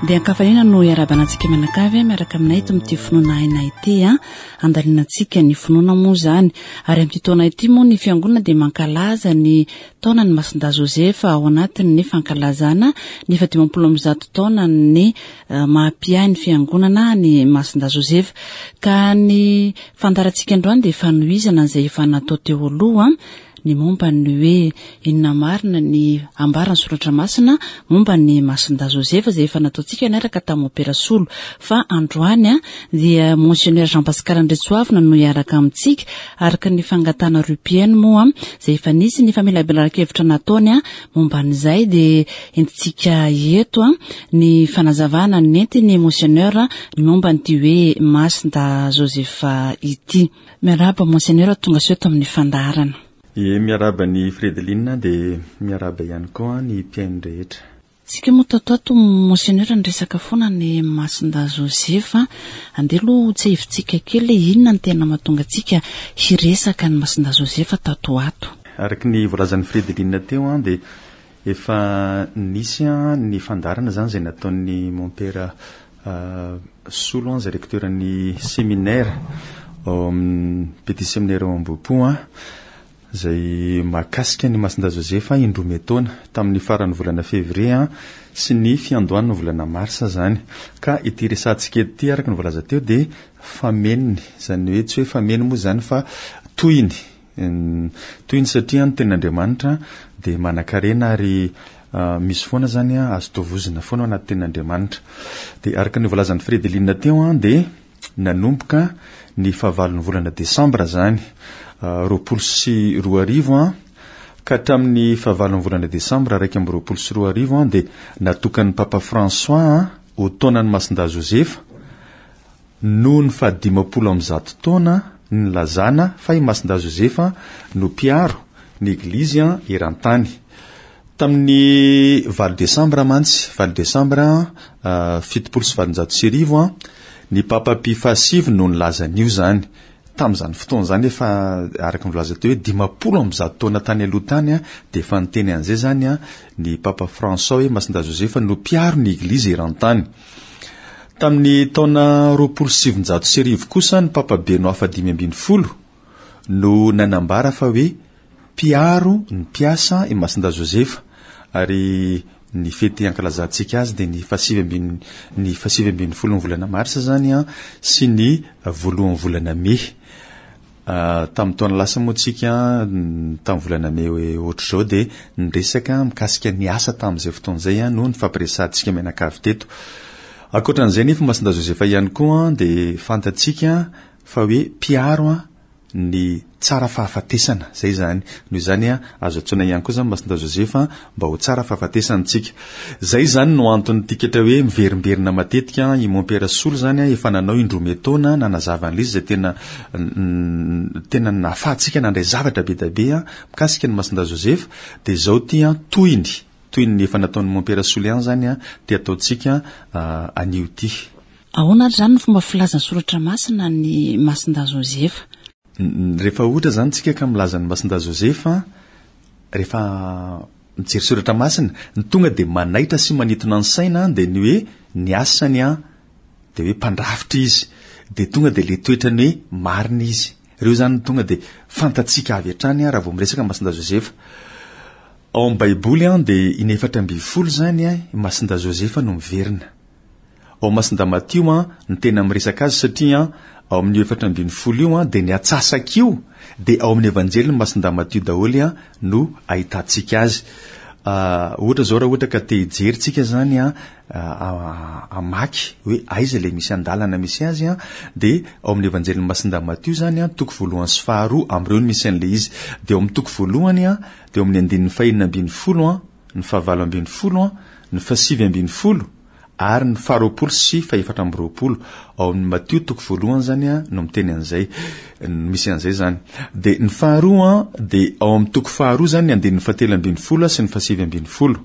Dia ankafaliana no iarahabana antsika mianakavy miaraka aminay eto amin'ity finoana aina ity a. Andalinantsika ny finoana moa izany. Ary amin'ity taona ity moa ny fiangonana dia mankalaza ny taonan'i Masindahy Josefa ao anatin'ny fankalazana ny faha 150 taonan'ny eh, maha-mpiahy ny fiangonana ny Masindahy Josefa. Ka ny fandaharantsika androany dia fanohizana izay efa natao teo aloha ny momba ny hoe inona marina ny ambaran'ny soratra masina momba ny Masindahy Josefa izay efa nataontsika niaraka tamin'ny Mopera Solo. Fa androany dia Monseigneur Jean Pascal Andriantsoavina no hiaraka amintsika araka ny fangatahana Rupienne moa izay efa nisy ny famelabelaran-kevitra nataony momba an'izay dia entintsika eto ny fanazavana nentin'ny Monseigneur ny momba an'ity hoe Masindahy Josefa ity. Miarahaba Monseigneur tonga soa eto amin'ny fandaharana. Ie, miarahaba an'i Fredeline dia miarahaba ihany koa ny mpihaino rehetra. Tsika moa tato ato Monseigneur niresaka foana ny Masindahy Josefa, andeha aloha ho tsiahivintsika kely hoe inona no tena mahatonga antsika hiresaka ny Masindahy Josefa tato ho ato. Araka ny voalazan'i Fredeline teo dia efa nisy ny fandaharana izany izay nataon'ny Mompera Solo izay recteur ny séminaire ao amin'ny petit séminaire ao Ambohipo izay mahakasika ny Masindahy Josefa indroa miataona tamin'ny faran'ny volana février sy ny fiandohan'ny volana mars izany. Ka ity resahantsika eto ity araka ny voalaza teo dia famenony, izany hoe tsy hoe fameno moa izany fa tohiny. Tohiny satria ny tenin'Andriamanitra dia manan-karena ary misy foana izany azo tovozina foana ao anaty tenin'Andriamanitra. Dia araka ny voalazan'i Fredeline teo dia nanomboka ny fahavalon'ny volana desambra izany 2020 ka hatramin'ny fahavalon'ny volana desambra 2021 dia natokan'ny Papa François ho taonan'i Masindahy Josefa Noho ny fahadimampolo ambizato taona nilazana fa i Masindahy Josefa no mpiaro ny Eglizy eran-tany. Tamin'ny valo desambra mantsy, valo desambra 1870, ny Papa Pie fahasivy no nilaza an'io izany. Tamin'izany fotoana izany efa araka ny voalaza teo hoe 150 taona tany aloha tany dia efa niteny an'izay izany ny Papa François hoe Masindahy Josefa no mpiaro ny Eglizy eran-tany. Tamin'ny taona 1920 kosa ny Papa Benoît fahadimy ambin'ny folo no nanambara fa hoe mpiaro ny mpiasa i Masindahy Josefa ary ny fety ankalazantsika azy dia ny fahasivy ambin'ny ny fahasivy ambin'ny folon'ny volana marsa izany an sy ny voalohan'ny volana mey. Tamin'ny taona lasa moa tsika tamin'ny volana mey ohatr'izao dia niresaka mikasika ny asa tamin'izay fotoana izay no nifampiresahantsika mianakavy teto. Ankoatran'izay nefa Masindahy Josefa ihany koa dia fantatsika fa hoe mpiaro ny tsara fahafatesana, izay izany. Noho izany azo antsoina ihany koa izany Masindahy Josefa mba ho tsara fahafatesana tsika. Izay izany no anton'ny tikatra hoe miverimberina matetika i Mompera Solo izany efa nanao indroa metaona nanazava an'ilay izy izay tena tena nahafahantsika nandray zavatra be dia be mikasika ny Masindahy Josefa dia izao ity tohiny toy ny efa nataon'i Mompera Solo ihany izany ity ataontsika anio ity. Ahoana ary izany ny fomba filazan'ny Soratra Masina ny Masindahy Josefa? Rehefa ohatra izany tsika ka milaza ny Masindahy Josefa, rehefa mijery Soratra Masina, ny tonga dia manaitra sy manintona ny saina dia ny hoe ny asany dia hoe mpandrafitra izy, dia tonga dia ilay toetrany hoe marina izy. Ireo izany no tonga dia fantatsika avy hatrany raha vao miresaka Masindahy Josefa. Ao amin'ny Baiboly dia inefatra ambin'ny folo izany i Masindahy Josefa no miverina. Ao Masindahy Matio no tena miresaka azy satria ao amin'io 14 io dia ny atsasak'io dia ao amin'ny Evanjelin'i Masindahy Matio daholo no ahitantsika azy. Ohatra izao raha ohatra ka te hijery tsika izany hamaky hoe aiza ilay misy andalana misy azy dia ao amin'ny Evanjelin'i Masindahy Matio izany toko voalohany sy faharoa amin'ireo no misy an'ilay izy. Dia ao amin'ny toko voalohany dia ao amin'ny andininy fahenina ambin'ny folo, ny fahavalo ambin'ny folo, ny fahasivy ambin'ny folo ary ny faharoapolo sy fahefatra amby roapolo. Ao amin'ny Matio toko voalohany izany no miteny an'izay, no misy an'izay izany. Dia ny faharoa dia ao amin'ny toko faharoa izany ny andininy fahatelo ambin'ny folo sy ny fahasivy ambin'ny folo.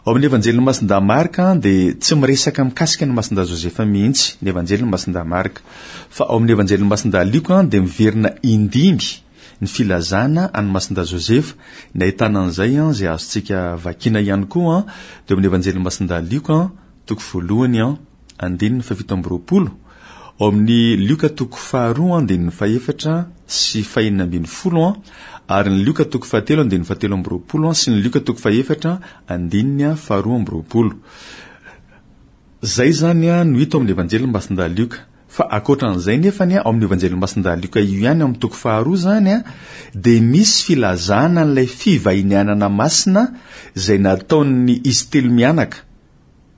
Ao amin'ny Evanjelin'i Masindahy Marka dia tsy miresaka mikasika ny Masindahy Josefa mihitsy ny Evanjelin'i Masindahy Marka. Fa ao amin'ny Evanjelin'i Masindahy Lioka dia miverina indimy ny filazana an'i Masindahy Josefa, ny ahitana an'izay izay azontsika vakiana ihany koa dia ao amin'ny Evanjelin'i Masindahy Lioka. toko voalohany andininy fahafito amby roapolo, ao amin'ny Lioka toko faharoa andininy fahefatra sy fahenina ambin'ny folo ary ny Lioka toko fahatelo andininy fahatelo amby roapolo sy ny Lioka toko fahefatra andininy faharoa amby roapolo. Izay izany no hita ao amin'ny Evanjelin'i Masindahy Lioka. Fa ankoatra an'izay nefany ao amin'ny Evanjelin'i Masindahy Lioka io ihany ao amin'ny toko faharoa izany dia misy filazana an'ilay fivahinianana masina izay nataon'ny izy telo mianaka,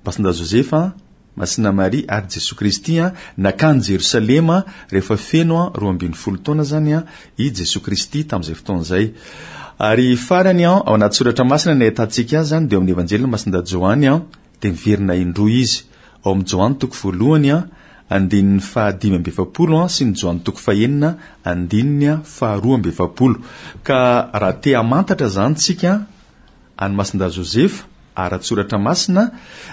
Masindahy Josefa, Masina Maria ary Jesoa Kristy nankany Jerosalema rehefa feno 12 taona izany i Jesoa Kristy tamin'izay fotoana izay. Ary farany ao anaty soratra masina ny ahitantsika azy izany dia ao amin'ny Evanjelin'i Masindahy Joany dia miverina indroa izy, ao amin'ny Joany toko voalohany andininy faha-45 sy ny Joany toko fahenina andininy faha-42. Ka raha te hamantatra izany tsika an'i Masindahy Josefa ara-tsoratra masina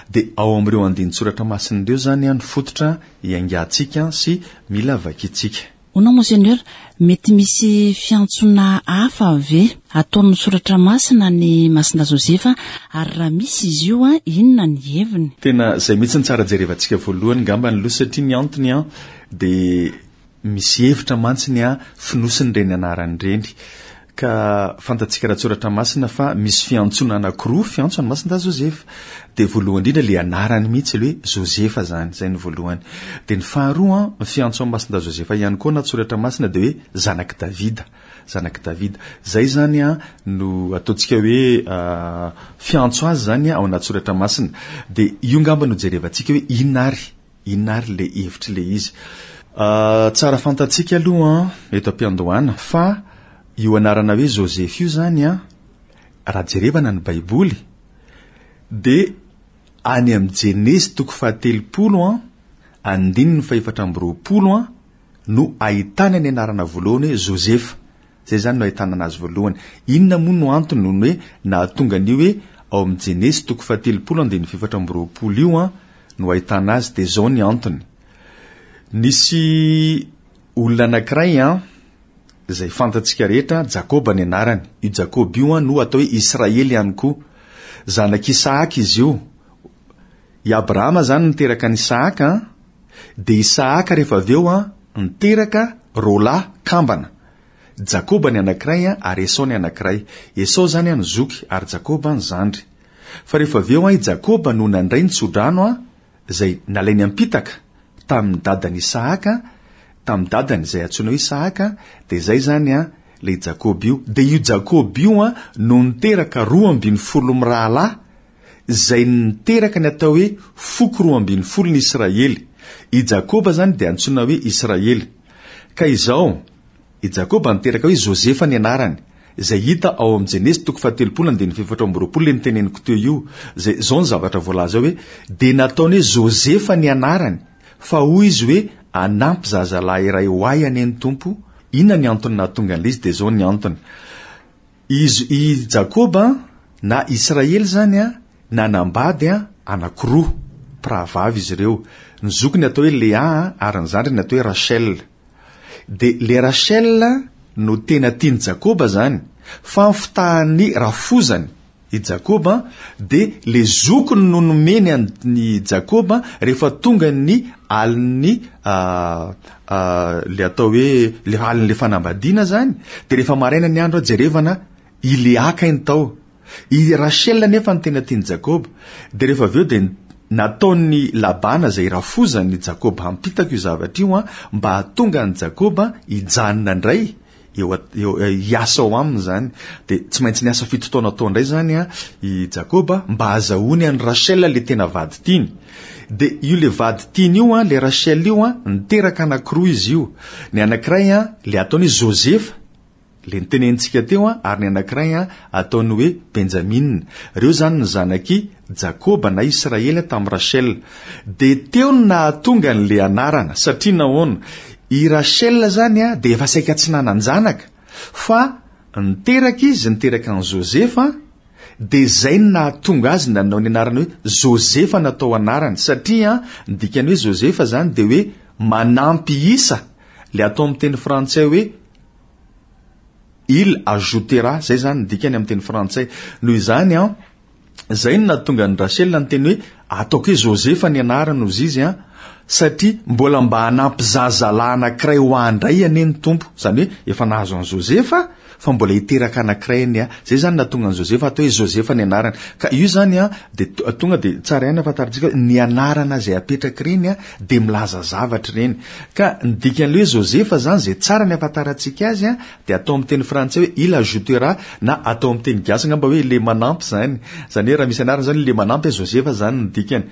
dia ao amin'ireo andinin-tsoratra masina ireo izany no fototra iaingantsika sy mila vakintsika. Hono Monseigneur, mety misy fiantsoana hafa ve ataon'ny Soratra Masina an'i Masindahy Josefa ary raha misy izy io inona ny heviny? Tena izay mihitsy no tsara jerevantsika voalohany ngambany aloha satria ny antony an dia misy hevitra mantsy ny an fonosin'ireny anarana ireny. Ka fantatsika ara-tsoratra masina fa misy fiantsoana anankiroa fiantso an'i Masindahy Josefa. Dia voalohany indrindra ilay anarany mihitsy ilay hoe Josefa izany, izay no voalohany. Dia ny faharoa, ny fiantso an'i Masindahy Josefa ihany koa anaty soratra masina dia hoe zanak'i Davida, zanak'i Davida. Izay izany no ataontsika hoe fiantso azy izany ao anaty soratra masina. Dia io angamba no jerevantsika hoe inona ary Inona ary ilay hevitr'ilay izy? Tsara fantatsika aloha eto am-piandohana fa io anarana hoe Joseph io izany an, raha jerevana ny Baiboly dia any amin'ny Jenezy toko fahatelopolo an, andininy fahefatra amby roapolo an, no ahitana ny anarana voalohany hoe Josefa. Izay izany no ahitana anazy voalohany. Inona moa no antony no hoe nahatonga an'io hoe ao amin'ny Jenesy toko fahatelopolo andininy fahefatra amby roapolo io an no ahitana azy? Dia izao ny antony. Nisy olona anankiray an, izay fantatsika rehetra, Jakoba ny anarany. Io Jakoba io an no atao hoe Israely ihany koa. Zanak'i Isahaka izy io. I Abrahama izany niteraka an'i Isahaka an, dia Isahaka rehefa avy eo an, niteraka roalahy kambana. Jakoba ny anankiray an, ary Esao ny anankiray. Esao izany an ny zoky, ary Jakoba ny zandry. Fa rehefa avy eo an i Jakoba no nandray ny tsodrano an, izay nalainy am-pitaka tamin'ny dadan'i Isahaka, tamin'ny dadany izay antsoina hoe Isahaka, dia izay izany an ilay Jakoba io. Dia io Jakoba io an no niteraka 12 mirahalahy, izay niteraka ny atao hoe foko 12 ny Israely. I Jakoba izany dia antsoina hoe Israely. Ka izao, i Jakoba niteraka hoe Josefa ny anarany, izay hita ao amin'ny Jenesy toko fahatelopolo andininy fahefatra amby roapolo ilay noteneniko teo io, izay izao ny zavatra voalaza ao hoe, dia nataony hoe Josefa ny anarany, fa hoy izy hoe, hanampy zazalahy iray ho ahy anie ny Tompo, inona ny antony nahatonga an'ilay izy, dia izao ny antony. Izy, i Jakoba, na Israely izany, nanambady anankiroa, mpirahavavy izy ireo. Ny zokiny atao hoe Lea ary ny zandriny atao hoe Rachel. Dia le Rachel no tena tian'i Jakoba izany, fa ny fitahan'ny rafozany i Jakoba, dia le zokiny no nomeny an'i Jakoba rehefa tonga ny alin'ny le atao hoe le alin'le fanambadiana zany, de rehefa maraina ny andro jerevana i Lea kay ny tao. I Rachel nefa ny tena tian'i Jakoba. De rehefa avy eo de nataon'i Labana izay rafozan'i Jakoba hampitako io zavatra io mba hahatonga an'i Jakoba hijanona indray eo eo hiasa ao aminy izany. Dia tsy maintsy niasa fito taona tao indray izany i Jakoba mba hahazahoany an'i Rachel le tena vady tiany. Dia io le vady tiany io an, le Rachel io an, niteraka anankiroa izy io. Ny anankiray an, le ataony hoe Josefa, le nitenenintsika teo an, ary ny anankiray an, ataony hoe Benjamina. Ireo izany ny zanak'i Jakoba na Israely tamin'i Rachel. Dia teo no nahatonga an'ilay anarana, satria nahoana? I Rachel izany dia efa saika tsy nanan-janaka, fa niteraka izy, niteraka an'i Josefa, dia izay no nahatonga azy nanao ny anarana hoe Josefa natao anarany, satria ny dikan'ny hoe Josefa izany dia hoe manampy isa, ilay atao amin'ny teny frantsay hoe il ajoutera, izay izany ny dikany amin'ny teny frantsay. Noho izany an, Izay no nahatonga an'i Rachel niteny hoe, Ataoko hoe Josefa ny anarany hozy izy an, satria mbola mba hanampy zazalahy anankiray ho ahy indray anie ny Tompo. Izany hoe efa nahazo an'i Josefa fa mbola hiteraka anankiray anie aho. Izay izany nahatonga an'i Josefa atao hoe Josefa ny anarany. Ka io izany an, dia tonga dia tsara ihany ahafantarantsika hoe ny anarana izay apetraka ireny an, dia milaza zavatra ireny. Ka ny dikan'ilay hoe Josefa izany izay tsara ny ahafantarantsika azy an, Dia atao amin'ny teny frantsay hoe il ajoutera na atao amin'ny teny gasy angamba hoe le manampy izany. Izany hoe raha misy anarana izany le manampy Josefa izany ny dikany.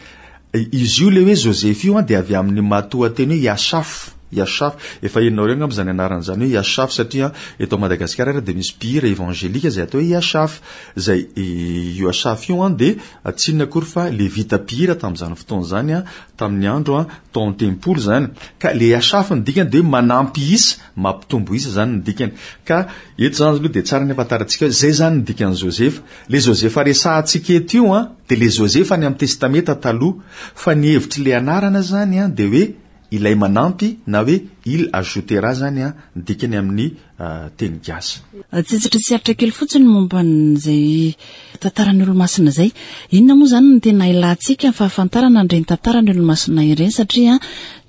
Izy io le hoe Joseph io dia avy amin'ny matoanteny hoe Yashaf. Yashaf. Efa henonareo angamba izany anarana izany hoe Yashaf satria eto Madagasikara ary dia misy mpihira evangelika izay atao hoe Yashaf. Izay io Yashaf io dia tsy inona akory fa levita mpihira tamin'izany fotoana izany tamin'ny andro tao an-tempoly izany. Ka le Yashaf ny dikany dia hoe manampy isa. Mampitombo isa izany ny dikany. Ka eto izany aloha dia tsara ny ahafantarantsika hoe izay izany ny dikan'i Josefa. Ilay Josefa resahantsika eto io an, dia ilay Josefa any amin'ny Testamenta Taloha. Fa ny hevitr'ilay anarana izany an, dia hoe ilay manampy na hoe il ajoutera izany an, ny dikany amin'ny teny gasy. Tsitsitra tsy aritra kely fotsiny momba an'izay tantaran'ny olomasina izay. Inona moa izany no tena ilantsika ny fahafantarana an'ireny tantaran'ny olomasina ireny satria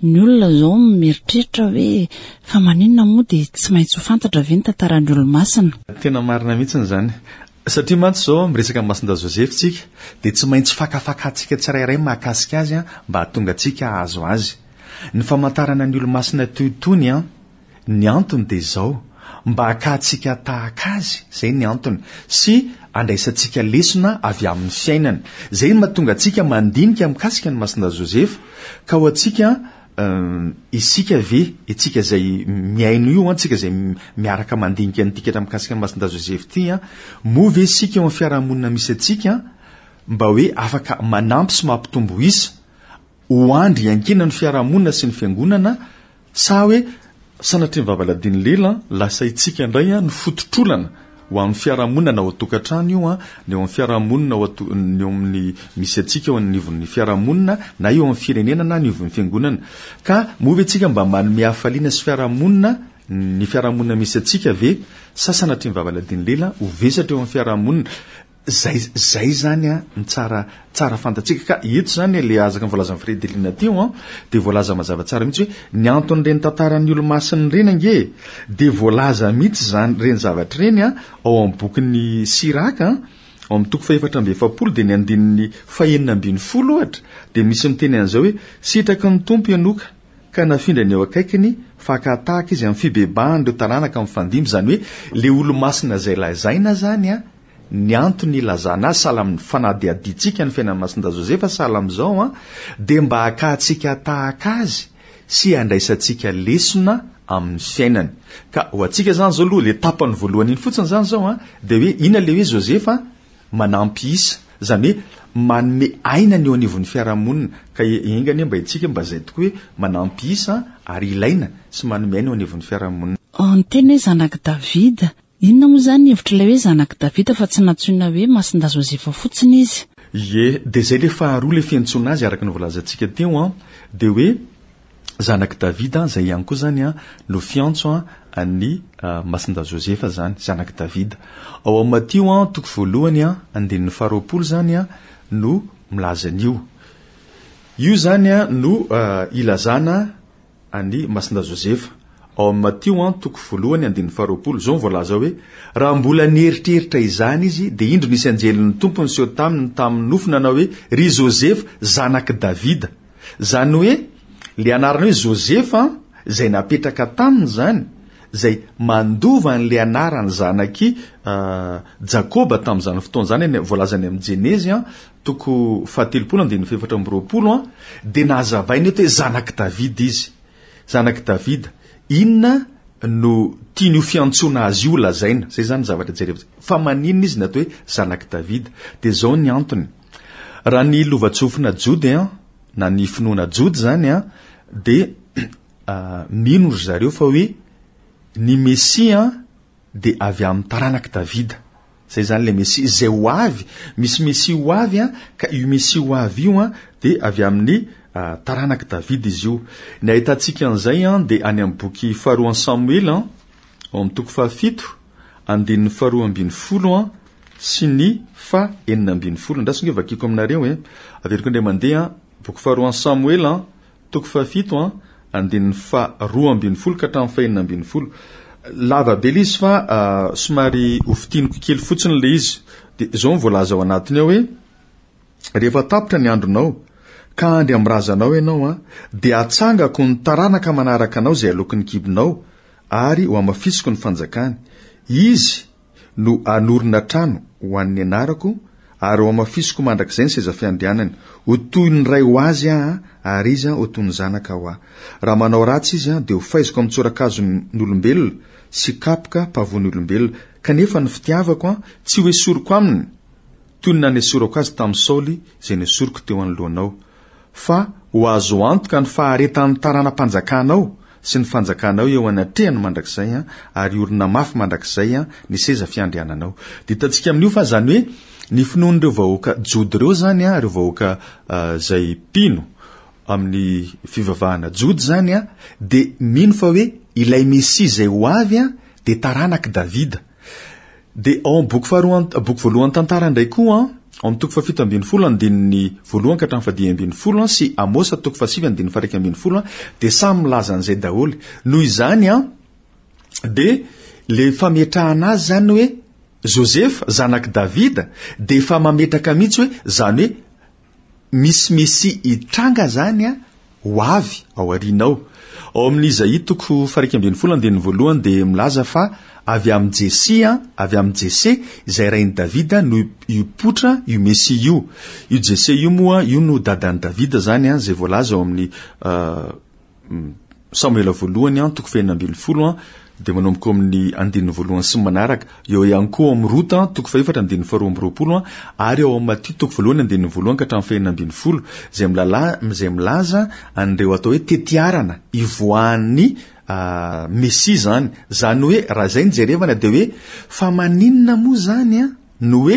ny olona izao mieritreritra hoe fa maninona moa dia tsy maintsy ho fantatra ve ny tantaran'ny olomasina? Tena marina mihitsy izany. Satria mantsy izao miresaka amin'i Masindahy Joseph tsika dia tsy maintsy fakafakantsika tsirairay mahakasika azy mba hahatonga antsika hahazo azy. Ny famantarana ny olomasina toy itony an, Ny antony dia izao, mba hakantsika tahaka azy, izay ny antony, sy handraisantsika lesona avy amin'ny fiainany. Izay no mahatonga antsika mandinika mikasika an'i Masindahy Josefa. Ka ho antsika, isika ve, isika izay mihaino io, isika izay miaraka mandinika ny dikatra mikasika an'i Masindahy Josefa ity, moa ve isika eo amin'ny fiarahamonina misy antsika mba hoe afaka manampy sy mampitombo isa ho andry iankinan'ny fiarahamonina sy ny fiangonana Sa hoe sanatria ny vavaladin'ny lela lasa itsika indray no fototr'olana ho amin'ny fiarahamonina na ao an-tokantrano io an, ny eo amin'ny fiarahamonina ao an-to-, ny eo amin'ny misy antsika eo anivon'ny fiarahamonina na eo amin'ny firenena na anivon'ny fiangonana. Ka moa ve tsika mba manome hafaliana sy fiarahamonina ny fiarahamonina misy antsika ve sa sanatria ny vavaladin'ny lela ho vesatra eo amin'ny fiarahamonina? Zay zay zany an ny tsara tsara fantatsika ka eto zany le azaka ny voalazan'i Fredelina teo an de voalaza mazava tsara mihitsy hoe ny anton'ireny tantaran'ny olomasina ireny ange e de voalaza mihitsy zany ireny zavatra ireny an ao amin'ny bokin'ny Siraka an ao amin'ny toko fahefatra amby 40 de ny andininy fahenina ambin'ny folo ohatra de misy miteny an'izao hoe sitraky ny Tompo Enoka ka nafindrany eo akaikiny fa haka tahaka izy amin'ny fibebahan'ireo taranaka mifandimby izany hoe le olomasina izay lazaina zany an Ny antony ilazana azy sahala amin'ny fanadihadiantsika ny fiainan'i Masindahy Josefa sahala amin'izao an, dia mba hakantsika tahaka azy sy handraisantsika lesona amin'ny fiainany. Ka ho antsika izany izao aloha, ilay tapany voalohany iny fotsiny izany izao an, dia hoe inona ilay hoe Josefa manampy isa, izany hoe manome aina ny eo anivon'ny fiarahamonina. Ka enga anie mba isika mba izay tokoa hoe manampy isa ary ilaina sy manome aina eo anivon'ny fiarahamonina. Ny teny hoe zanak'i Davida Inona moa izany ny hevitr'ilay hoe zanak'i Davida fa tsy nantsoina hoe Masindahy Josefa fotsiny izy? Ie, dia izay ilay faharoa ilay fiantsoana azy araka ny voalazantsika teo an, dia hoe zanak'i Davida, izay ihany koa izany an no fiantso an an'i Masindahy Josefa izany, zanak'i Davida. Ao amin'ny Matio an, toko voalohany an, andininy faharoapolo izany an no milaza an'io. Io izany an no ilazana an'i Masindahy Josefa. Ao amin'ny Matio an, toko voalohany, andininy faharoapolo, izao no voalaza hoe, Raha mbola nieritreritra izany izy, dia indro nisy anjelin'ny Tompo niseho taminy tamin'ny nofy nanao hoe, Ry Josefa, zanak'i Davida. Izany hoe, ilay anarana hoe Josefa an, izay napetraka taminy izany, izay mandova an'ilay anaran'ny zanak'i Jakoba tamin'izany fotoana izany, any, voalaza any amin'ny Jenezy an, Toko fahatelopolo andininy fahefatra amby 20 an, dia nazavaina eto hoe zanak'i Davida izy. Zanak'i Davida. Inona no tian'io fiantsoana azy io lazaina? Izay izany ny zavatra jerevana. Fa maninona izy no atao hoe zanak'i Davida? Dia izao ny antony. Raha ny lovantsofina jody an, na ny finoana jody izany an, dia mino ry zareo fa hoe ny Mesia an, dia avy amin'ny taranak'i Davida. Izay izany ilay Mesia izay ho avy. Misy Mesia ho avy an, ka io Mesia ho avy io an, dia avy amin'ny taranak'i Davida izy io. Ny ahitantsika an'izay an, dia any amin'ny boky faharoan'i Samoela an, ao amin'ny toko fahafito, andininy faharoa ambin'ny folo an, sy ny faha 16. Andraso ange vakiko aminareo e. Averiko indray mandeha, boky faharoan'i Samoela, toko fahafito, andininy faha 12 ka hatramin'ny faha 16. Lava be ilay izy fa somary hofintiniko kely fotsiny ilay izy. Dia izao no voalaza ao anatiny ao hoe, Rehefa tapitra ny andronao, ka handry amin'ny razanao ianao, dia hatsangako ny taranaka manaraka anao izay aloky ny kibonao, ary hohamafisiko ny fanjakany. Izy no hanorina trano ho an'ny anarako, ary hohamafisiko mandrakizay ny seza fiandrianany. Ho toy ny ray ho azy aho, ary izy ho toy ny zanaka ho ahy. Raha manao ratsy izy, dia hofaiziko amin'ny tsorakazon'olombelona sy kapoka mpavoan'olombelona. Kanefa ny fitiavako tsy hoesoriko aminy, toy ny nanesorako azy tamin'i Saoly izay nesoriko teo anoloanao, fa ho azo antoka ny faharetan'ny tarana-panjakanao sy ny fanjakanao eo anatrehany mandrakizay, ary hiorina mafy mandrakizay ny seza fiandriananao. Dia hitantsika amin'io fa izany hoe ny finoan'ireo vahoaka jody ireo izany, ireo vahoaka izay mpino amin'ny fivavahana jody izany, dia mino fa hoe ilay Mesia izay ho avy dia taranak'i Davida. Dia ao amin'ny boky faharoa, boky voalohan'ny tantara indray koa, ao amin'ny toko fahafito ambin'ny folo andininy voalohany ka hatramin'ny fahadimy ambin'ny folo sy Amosa toko fahasivy andininy faha-iraika ambin'ny folo dia samy milaza an'izay daholo. Noho izany an, dia le fametrahana azy izany hoe Josefa zanak'i Davida dia efa mametraka mihitsy hoe izany hoe Misy Mesia hitranga izany ho avy ao aoriana ao. Ao amin'ny Izaia toko faha-iraika ambin'ny folo andininy voalohany dia milaza fa avy amin'i Jesia, avy amin'i Jese, izay rain'i Davida no hipoitra io Mesia io. Io Jese io moa, io no dadan'i Davida izany, izay voalaza ao amin'ny Samoela voalohany an, toko fahenina ambin'ny folo an, dia manomboka ao amin'ny andininy voalohany sy ny manaraka. Eo ihany koa ao amin'ny Rota an, toko fahefatra andininy faharoa amby roapolo an, ary ao amin'ny Matio toko voalohany andininy voalohany ka hatramin'ny fahenina ambin'ny folo, izay milala, izay milaza an'ireo atao hoe tetiarana ivoahan'ny Mesia izany. Izany hoe raha izay no jerevana dia hoe fa maninona moa izany an, no hoe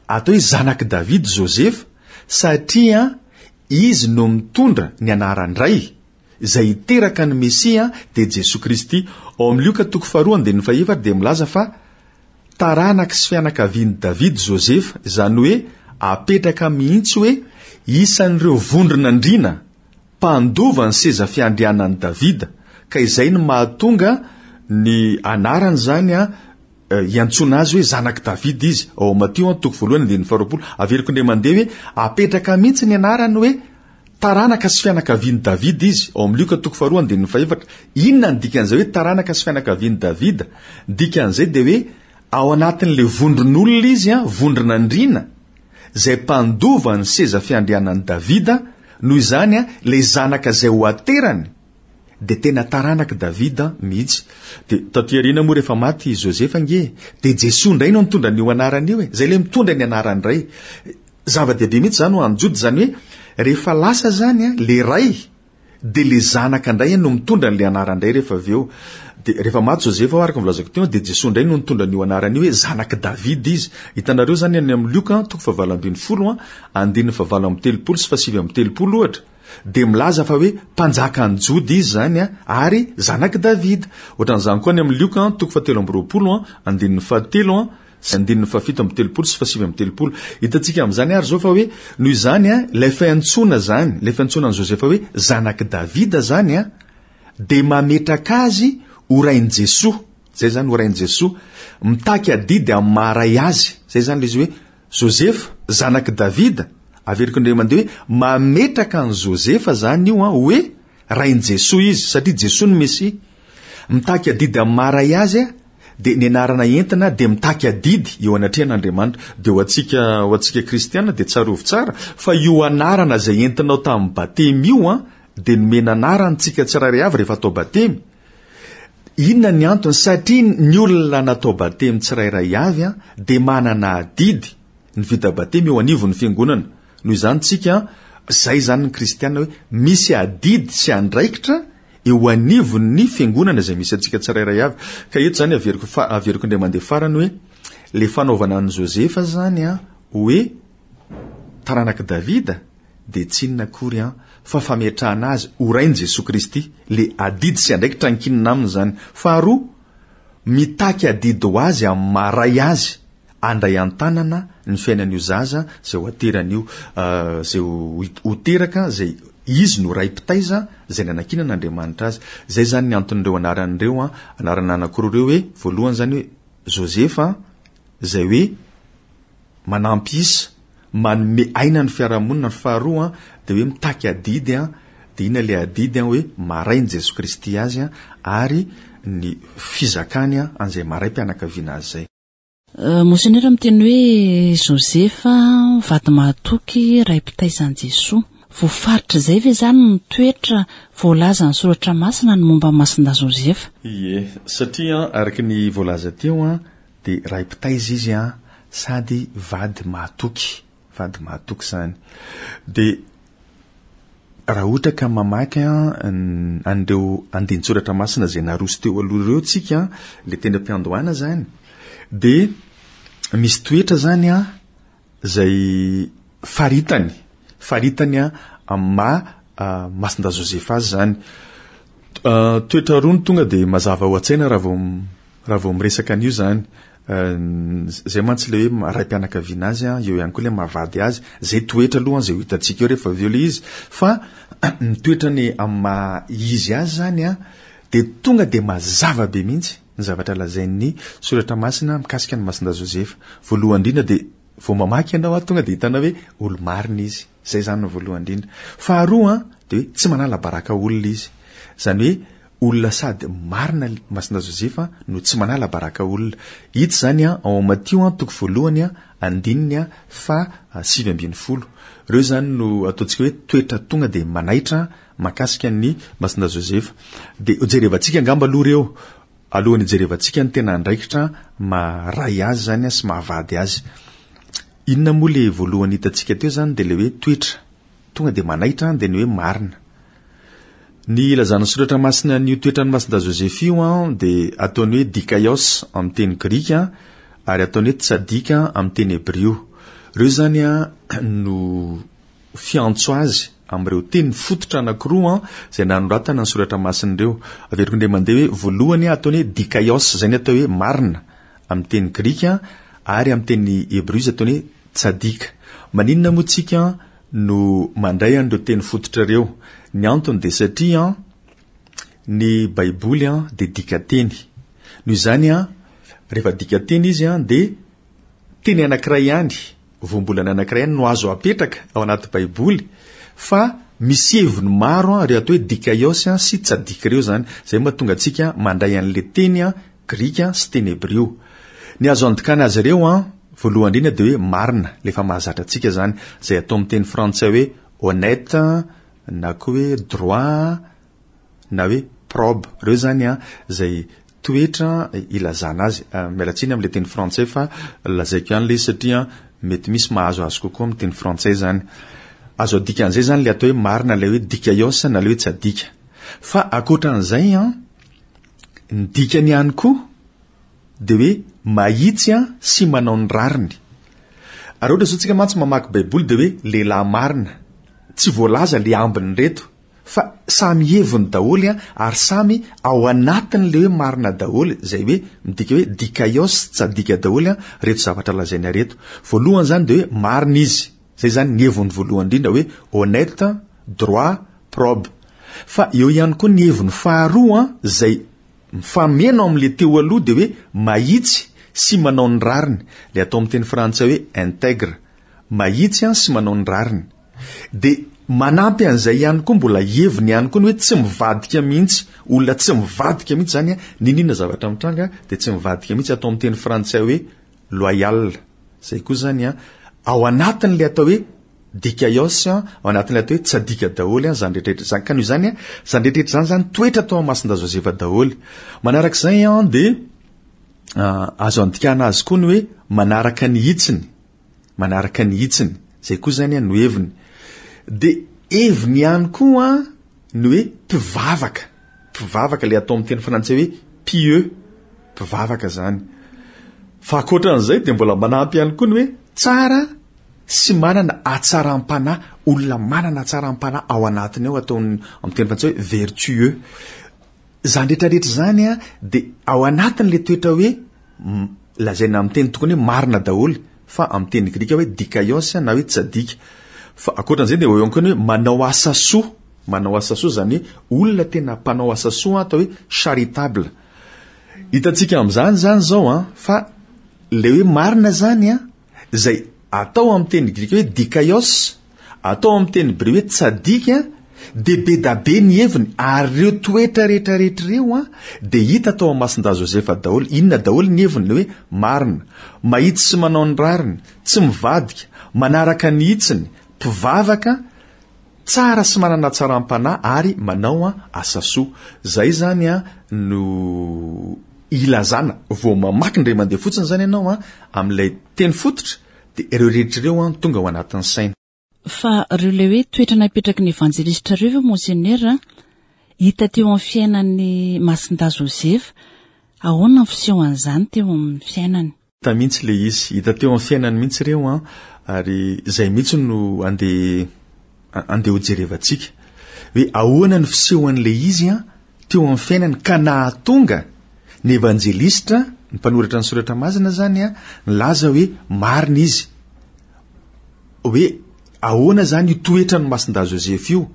atao hoe zanak'i Davida Josefa, satria Izy no mitondra ny anaran-dRay, izay hiteraka ny Mesia, dia Jesoa Kristy. Ao amin'ny Lioka toko faharoa andininy fahefatra dia milaza fa taranaky sy fianakavian'i Davida Josefa, izany hoe apetraka mihitsy hoe isan'ireo vondron'andriana mpandova ny seza fiandrianan'i Davida, ka izay no mahatonga ny anarany izany Iantsoana azy hoe zanak'i Davida izy, ao amin'ny Matio an, toko voalohany andininy faharoapolo. Averiko indray mandeha hoe apetraka mihitsy ny anarany hoe taranaka sy fianakavian'i Davida izy, ao amin'ny Lioka toko faharoa andininy fahefatra. Inona ny dikan'izay hoe taranaka sy fianakavian'i Davida? Ny dikan'izay dia hoe ao anatin'ilay vondron'olona izy, an, vondron'andriana, izay mpandova ny seza fiandrianan'i Davida, noho izany, an, ilay zanaka izay ho aterany, Dia tena taranak'i Davida mihitsy. Dia taty aoriana moa rehefa maty i Josefa ange, dia Jesoa indray no nitondra an'io anarana io e. Izay ilay mitondra ny anarany indray. Zava-dehibe mihitsy izany ho an'i Joda, izany hoe rehefa lasa izany an, ilay ray, dia ilay zanaka indray no mitondra an'ilay anarana indray rehefa avy eo. Dia rehefa maty Josefa araka ny voalazako teo, dia Jesoa indray no nitondra an'io anarana io hoe zanak'i Davida izy. Hitanareo izany any amin'ny Lioka, toko fahavalo ambin'ny folo an, andininy fahavalo amby telopolo sy fahasivy amby telopolo ohatra. dia milaza fa hoe mpanjakan'i Joda izy izany ary zanak'i Davida. Ohatran'izany koa any amin'ny Lioka toko fahatelo amby roapolo, andininy fahatelo sy andininy fahafito amby telopolo sy fahasivy amby telopolo. Hitantsika amin'izany ary izao fa hoe noho izany ilay fiantsoana izany, ilay fiantsoana an'i Josefa hoe zanak'i Davida izany dia mametraka azy ho rain'i Jesoa. Izay izany ho rain'i Jesoa. Mitaky adidy amin'ny maha ray azy. Izay izany ilay izy hoe Josefa, zanak'i Davida, averiko indray mandeha hoe mametraka an'i Josefa izany io an, hoe rain'i Jesoa izy, satria Jesoa no Mesia. Mitaky adidy amin'ny maha ray azy dia ny anarana entina dia mitaky adidy eo anatrehan'Andriamanitra. Dia ho antsika, ho antsika kristiana dia tsarovy tsara fa io anarana izay entinao tamin'ny batemy io an, dia nomena anarana antsika tsirairay avy rehefa atao batemy. Inona ny antony? Satria ny olona natao batemy tsirairay avy dia manana adidy ny vita batemy eo anivon'ny fiangonana. Noho izany tsika, izay izany ny kristiana hoe misy adidy sy andraikitra eo anivon'ny fiangonana izay misy antsika tsirairay avy. Ka eto izany averiko fa averiko indray mandeha farany hoe le fanaovana an'i Josefa izany hoe taranak'i Davida dia tsy inona akory an, fa fametrahana azy ho Rain'i Jesoa Kristy, le adidy sy andraikitra ankinina aminy izany. Faharoa, mitaky adidy ho azy amin'ny maha Ray azy, handray an-tanana ny fiainan'io zaza izay ho aterany io, izay ho teraka, izay izy no ray mpitaiza izay nanankinan'Andriamanitra azy. Izay izany ny anton'ireo anarana ireo, anarana anankiroa ireo hoe, voalohany izany hoe Josefa, izay hoe manampy isa, manome aina ny fiarahamonina, ny faharoa dia hoe mitaky adidy, dia inona ilay adidy hoe maha-Rain'i Jesoa Kristy azy ary ny fizakany an'izay maha-raim-pianakaviana azy izay. Monsenera miteny hoe Josefa, vady mahatoky, ray mpitaiza an'i Jesoa. Voafaritr'izay ve izany ny toetra voalazan'ny Soratra Masina ny momba an'i Masindahy Josefa? Ie, satria araka ny voalaza teo dia ray mpitaiza izy sady vady mahatoky, vady mahatoky izany. Dia raha ohatra ka mamaky an'ireo andinin-tsoratra masina izay naroso teo aloha ireo tsika, ilay teny am-piandohana izany, dia misy toetra izany izay faritany, faritany amin'ny maha Masindahy Josefa azy izany. Toetra roa no tonga dia mazava ao an-tsaina raha vao raha vao miresaka an'io izany. Izay mantsy ilay hoe raim-pianakaviana azy, eo ihany koa ilay maha-vady azy. Izay toetra aloha izay ho hitantsika eo rehefa avy eo ilay izy. Fa ny toetrany amin'ny maha izy azy izany dia tonga dia mazava be mihitsy ny zavatra lazain'ny soratra masina mikasika an'i Masindahy Josefa. Voalohany indrindra dia vao mamaky ianao tonga dia hitanao hoe olo-marina izy. Izay izany no voalohany indrindra. Faharoa dia hoe tsy manala baraka olona izy. Izany hoe olona sady marina Masindahy Josefa no tsy manala baraka olona. Hita izany ao amin'ny Matio toko voalohany andininy faha 19. Ireo izany no ataontsika hoe toetra tonga dia manaitra mahakasika an'i Masindahy Josefa. Dia hojerevantsika angamba aloha ireo, alohan'ny hijerevantsika ny tena andraikitra maha ray azy izany sy maha vady azy. Inona moa ilay voalohany hitantsika teo izany dia ilay hoe toetra tonga dia manaitra dia ny hoe marina. Ny ilazan'ny soratra masina an'io toetran'i Masindahy Josefa io dia ataony hoe dikaios amin'ny teny grika ary ataony hoe tsadika amin'ny teny hebrio. Ireo izany no fiantso azy amin'ireo teny fototra anankiroa izay nanoratana ny soratra masina ireo. Averiko indray mandeha hoe voalohany ataony hoe dikaios, izay ny atao hoe marina amin'ny teny grika ary amin'ny teny hebreo izy ataony hoe tsadika. Maninona moa tsika no mandray an'ireo teny fototra ireo? Ny antony dia satria ny Baiboly dia dikateny. Noho izany, rehefa dikateny izy dia teny anankiray ihany Voambolana anankiray ihany no azo apetraka ao anaty Baiboly, fa misy heviny maro ireo atao hoe dikaios sy tsadik ireo izany. Izay no mahatonga antsika mandray an'ilay teny grika sy teny hebreo. Ny azo andikana azy ireo, voalohany indrindra dia hoe marina, ilay efa mahazatra antsika izany, izay atao amin'ny teny frantsay hoe honnête na koa hoe droit, na hoe probe, ireo izany an, izay toetra ilazana azy. Miala tsiny amin'ilay teny frantsay fa lazaiko ihany ilay izy satria mety misy mahazo azy kokoa amin'ny teny frantsay izany. Azo adika an'izay izany ilay atao hoe marina, ilay hoe dikaios na ilay hoe tsy adika. Fa ankoatran'izay an, ny dikany ihany koa dia hoe mahitsy an sy manao ny rariny. Ary ohatra izao tsika mantsy mamaky baiboly dia hoe lehilahy marina, tsy voalaza ilay ambiny ireto. Fa samy heviny daholo an, ary samy ao anatin'ilay hoe marina daholo, izay hoe midika hoe dikaios, tsadika daholo an, reto zavatra lazaina reto. Voalohany izany dia hoe marina izy, izay izany ny heviny voalohany indrindra hoe honnête, droit, probe. Fa eo ihany koa ny heviny faharoa an, izay mifameno amin'ilay teo aloha dia hoe mahitsy sy manao ny rariny, ilay atao amin'ny teny frantsay hoe intègre, mahitsy an sy manao ny rariny. Dia manampy an'izay ihany koa mbola heviny ihany koa ny hoe tsy mivadika mihitsy, olona tsy mivadika mihitsy izany an, n'inon'inona zavatra mitranga dia tsy mivadika mihitsy, atao amin'ny teny frantsay hoe loyal, izay koa izany an, ao anatin'ilay atao hoe dikaios, ao anatin'ilay atao hoe tsadika daholo an, izany rehetra rehetra izany, ka noho izany an, izany rehetra rehetra izany izany toetra tao Masindahy Josefa daholo. Manarak'izay an dia azo andikana azy koa ny hoe manaraka ny hitsiny, manaraka ny hitsiny, zay koa zany no heviny. De heviny ihany koa ny hoe mpivavaka, mpivavaka le atao amin'ny teny frantsay hoe pieux, mpivavaka zany. Fa ankoatran'izay de mbola manampy ihany koa ny hoe tsara sy manana hatsaram-panahy, olona manana hatsaram-panahy ao anatiny ao, atao amin'ny teny frantsay hoe vertueux. Izany rehetra rehetra izany dia ao anatin'ilay toetra hoe. lazaina amin'ny teny tokony hoe marina daholo fa amin'ny teny grika hoe dikaios na hoe tsadika. Fa ankoatran'izay dia eo ihany koa ny hoe manao asa soa, manao asa soa izany hoe olona tena mpanao asa soa atao hoe charitable. Hitantsika amin'izany izany izao an, fa ilay hoe marina izany an, izay atao amin'ny teny grika hoe dikaios, atao amin'ny teny hebreo hoe tsadik, dia be da be ny heviny, ary ireo toetra rehetra rehetra ireo an, dia hita tao amin'ny Masindahy Josefa daholo. Inona daholo ny heviny? Ilay hoe marina, mahitsy sy manao ny rariny, tsy mivadika, manaraka ny hitsiny, mpivavaka, Tsara sy manana hatsaram-panahy ary manao asa soa. Zay zany no ilazana, vao mamaky indray mandeha fotsiny zany ianao amin'ilay teny fototra dia ireo rehetra ireo tonga ao anatin'ny saina. Fa ireo ilay hoe toetra napetraky ny evanjelistra ireo ve Monseigneur hita teo amin'ny fiainan'i Masindahy Josefa? Ahoana ny fisehon'izany teo amin'ny fiainany? Hita mihitsy ilay izy, hita teo amin'ny fiainany mihitsy ireo an, ary izay mihitsy no andeha andeha hojerevantsika. Hoe ahoana ny fisehoan'ilay izy an, teo amin'ny fiainany ka nahatonga ny evanjelistra, ny mpanoratra ny soratra masina izany an, nilaza hoe marina izy. Hoe ahoana izany io toetran'i Masindahy Joseph io?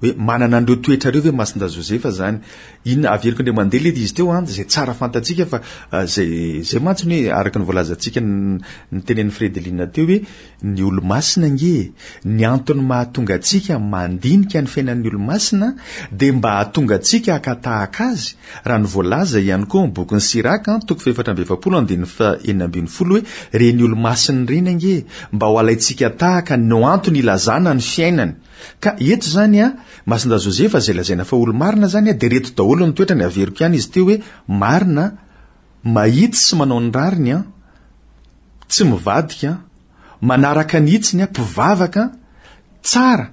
Hoe manana an'ireo toetra ireo ve Masindahy Josefa zany? Inona, averiko indray mandeha ilay izy teo an, izay tsara fantatsika fa izay, izay mantsy ny hoe araka ny voalazantsika ny tenenin'i Fredeline teo hoe ny olomasina ange e, ny antony mahatonga antsika mandinika ny fiainan'ny olomasina dia mba hahatonga antsika haka tahaka azy, raha ny voalaza ihany koa amin'ny bokin'i Siraka an, toko fahefatra amby efapolo andininy faha 16 hoe ireny olomasina ireny ange mba ho alaintsika tahaka no antony ilazana ny fiainany. Ka eto izany an, Masindahy Josefa izay lazaina fa olo-marina izany an, dia ireto daholo ny toetrany, averiko ihany izy teo hoe, marina, mahitsy sy manao ny rariny an, tsy mivadika an, manaraka ny hitsiny an, mpivavaka an, tsara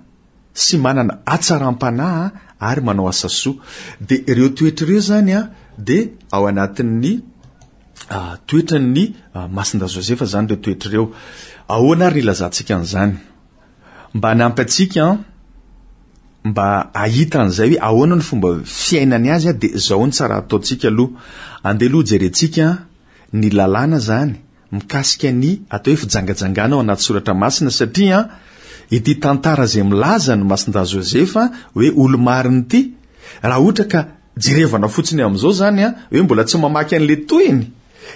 sy manana hatsaram-panahy an, ary manao asa soa. Dia ireo toetra ireo izany an, dia ao anatin'ny toetran'ny Masindahy Josefa izany ireo toetra ireo. Ahoana ary ny ilazantsika an'izany? Mba hanampy antsika mba hahita an'izay hoe ahoana ny fomba fiainany azy dia izao ny tsara ataontsika aloha. Andeha aloha jerentsika ny lalàna izany mikasika ny atao hoe fijangajangana ao anaty soratra masina satria ity tantara izay milaza ny Masindahy Josefa hoe olo-marina ity raha ohatra ka jerevana fotsiny amin'izao izany hoe mbola tsy mamaky an'ilay tohiny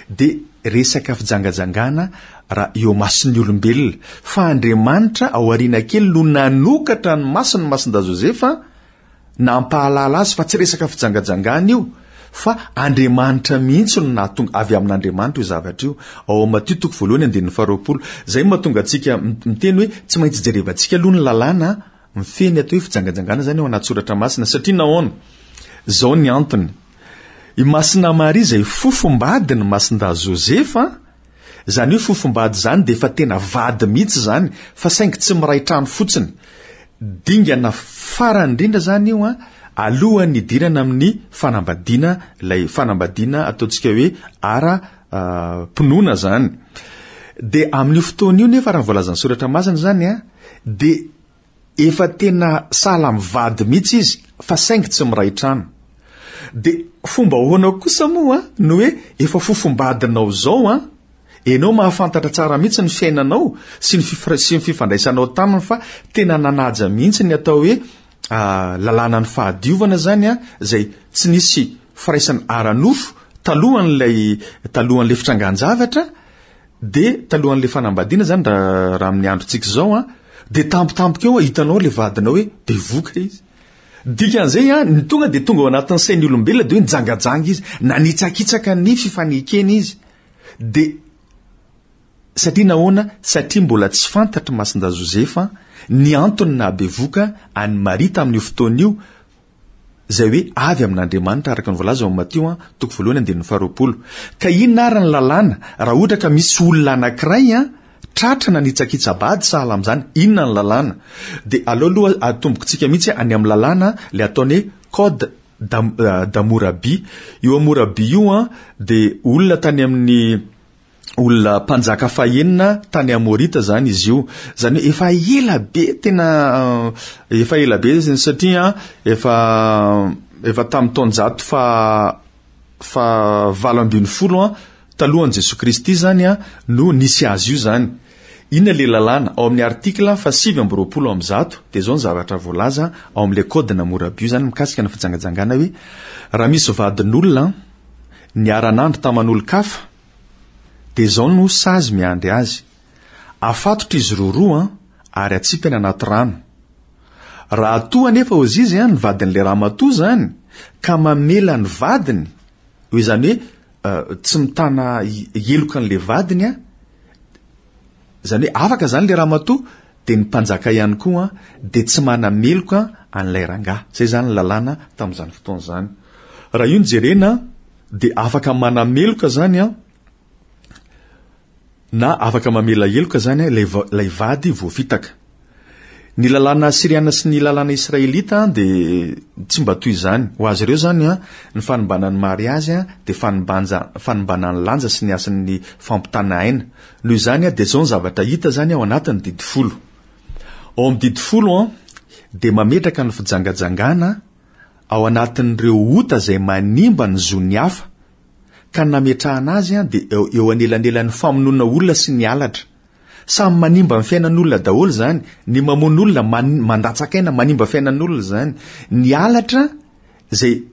dia resaka fijangajangana raha eo mason'ny olombelona, fa Andriamanitra ao aoriana kely no nanokatra ny mason'i Masindahy Josefa nampahalala azy fa tsy resaka fijangajangana io, fa Andriamanitra mihitsy no nahatonga, avy amin'Andriamanitra io zavatra io. Ao amin'ny Matio toko voalohany andininy faharoapolo. Izay no mahatonga antsika miteny hoe tsy maintsy jerevantsika aloha ny lalàna mifehy ny atao hoe fijangajangana izany ao anaty soratra masina, satria nahoana? Izao ny antony. I Masina Maria izay fofombadin'i Masindahy Josefa, izany hoe fofombady izany dia efa tena vady mihitsy izany fa saingy tsy miray trano fotsiny. Dingana farany indrindra izany io an, alohan'ny hidirana amin'ny fanambadiana, ilay fanambadiana ataontsika hoe ara pinoana izany. Dia amin'io fotoana io nefa raha ny voalazan'ny soratra masina izany an, dia Efa tena sahala mivady mihitsy izy fa saingy tsy miray trano. Dia fomba ahoana kosa moa no hoe efa fofombadinao izao an? Enao mahafantatra tsara mihitsy ny fiainanao sy ny sy ny fifandraisanao taminy fa tena nanaja mihitsy ny atao hoe lalànan'ny fahadiovana izany an, izay tsy nisy firaisana ara-nofo talohan'ilay talohan'ilay fitrangan-javatra, Dia talohan'ilay fanambadiana izany raha raha amin'ny androntsika izao an, dia tampotampoka eo hitanao ilay vadinao hoe bevoka izy. Dikan'izay an, ny tonga dia tonga ao anatin'ny sain'ny olombelona dia hoe nijangajanga izy, nanitsakitsaka ny fifanekena izy. Dia satria nahoana? Satria mbola tsy fantatr'i Masindahy Josefa ny antony nahabevoka an'i Maria tamin'io fotoana io, izay hoe avy amin'Andriamanitra araka ny voalaza ao amin'ny Matio an, toko voalohany andininy faharoapolo. Ka inona ary ny lalàna raha ohatra ka misy olona anankiray an, tratra nanitsakitsa-bady sahala amin'izany, inona ny lalàna? Dia aleo aloha atombokintsika mihitsy any amin'ny lalàna ilay ataony hoe code d'Hammurabi. Io Hammurabi io an, dia olona tany amin'ny olona mpanjaka fahenina tany Amorita zany izy io. Zany hoe efa ela be tena efa ela be izy satria efa efa tamin'ny taonjato fa fa 18 an. Talohan'i Jesoa Kristy izany no nisy azy io izany. Inona ilay lalàna? Ao amin'ny article faha-129 dia izao ny zavatra voalaza ao amin'ilay code Hammurabi io izany mikasika ny fijangajangana hoe raha misy vadin'olona niara-nandro taman'olon-kafa dia izao no sazy miandry azy. Afatotra izy roroa ary atsipy any anaty rano. Raha toa anefa ozizy ny vadin'ilay ramatoa izany ka mamela ny vadiny, izany hoe tsy mitana heloka an'ilay vadiny an, izany hoe afaka izany ilay ramatoa, dia ny mpanjaka ihany koa dia tsy manameloka an'ilay rangahy. Izay izany ny lalàna tamin'izany fotoana izany. Raha io no jerena dia afaka manameloka izany an, na afaka mamela heloka izany ilay ilay vady voafitaka. Ny lalàna asyriana sy ny lalàna israelita dia tsy mba toy izany. Ho azy ireo izany, ny fanimbana ny mariazy dia fanimbanja fanimbana ny lanja sy ny hasin'ny fampitana aina. Noho izany dia izao ny zavatra hita izany ao anatin'ny didy folo. Ao amin'ny didy folo dia mametraka ny fijangajangana ao anatin'ireo ota izay manimba ny zon'ny hafa ka ny nametrahana azy dia eo anelanelan'ny famonoana olona sy ny halatra. Samy manimba ny fiainan'olona daholo izany, ny mamono olona mandatsaka aina manimba fiainan'olona izany, ny halatra izay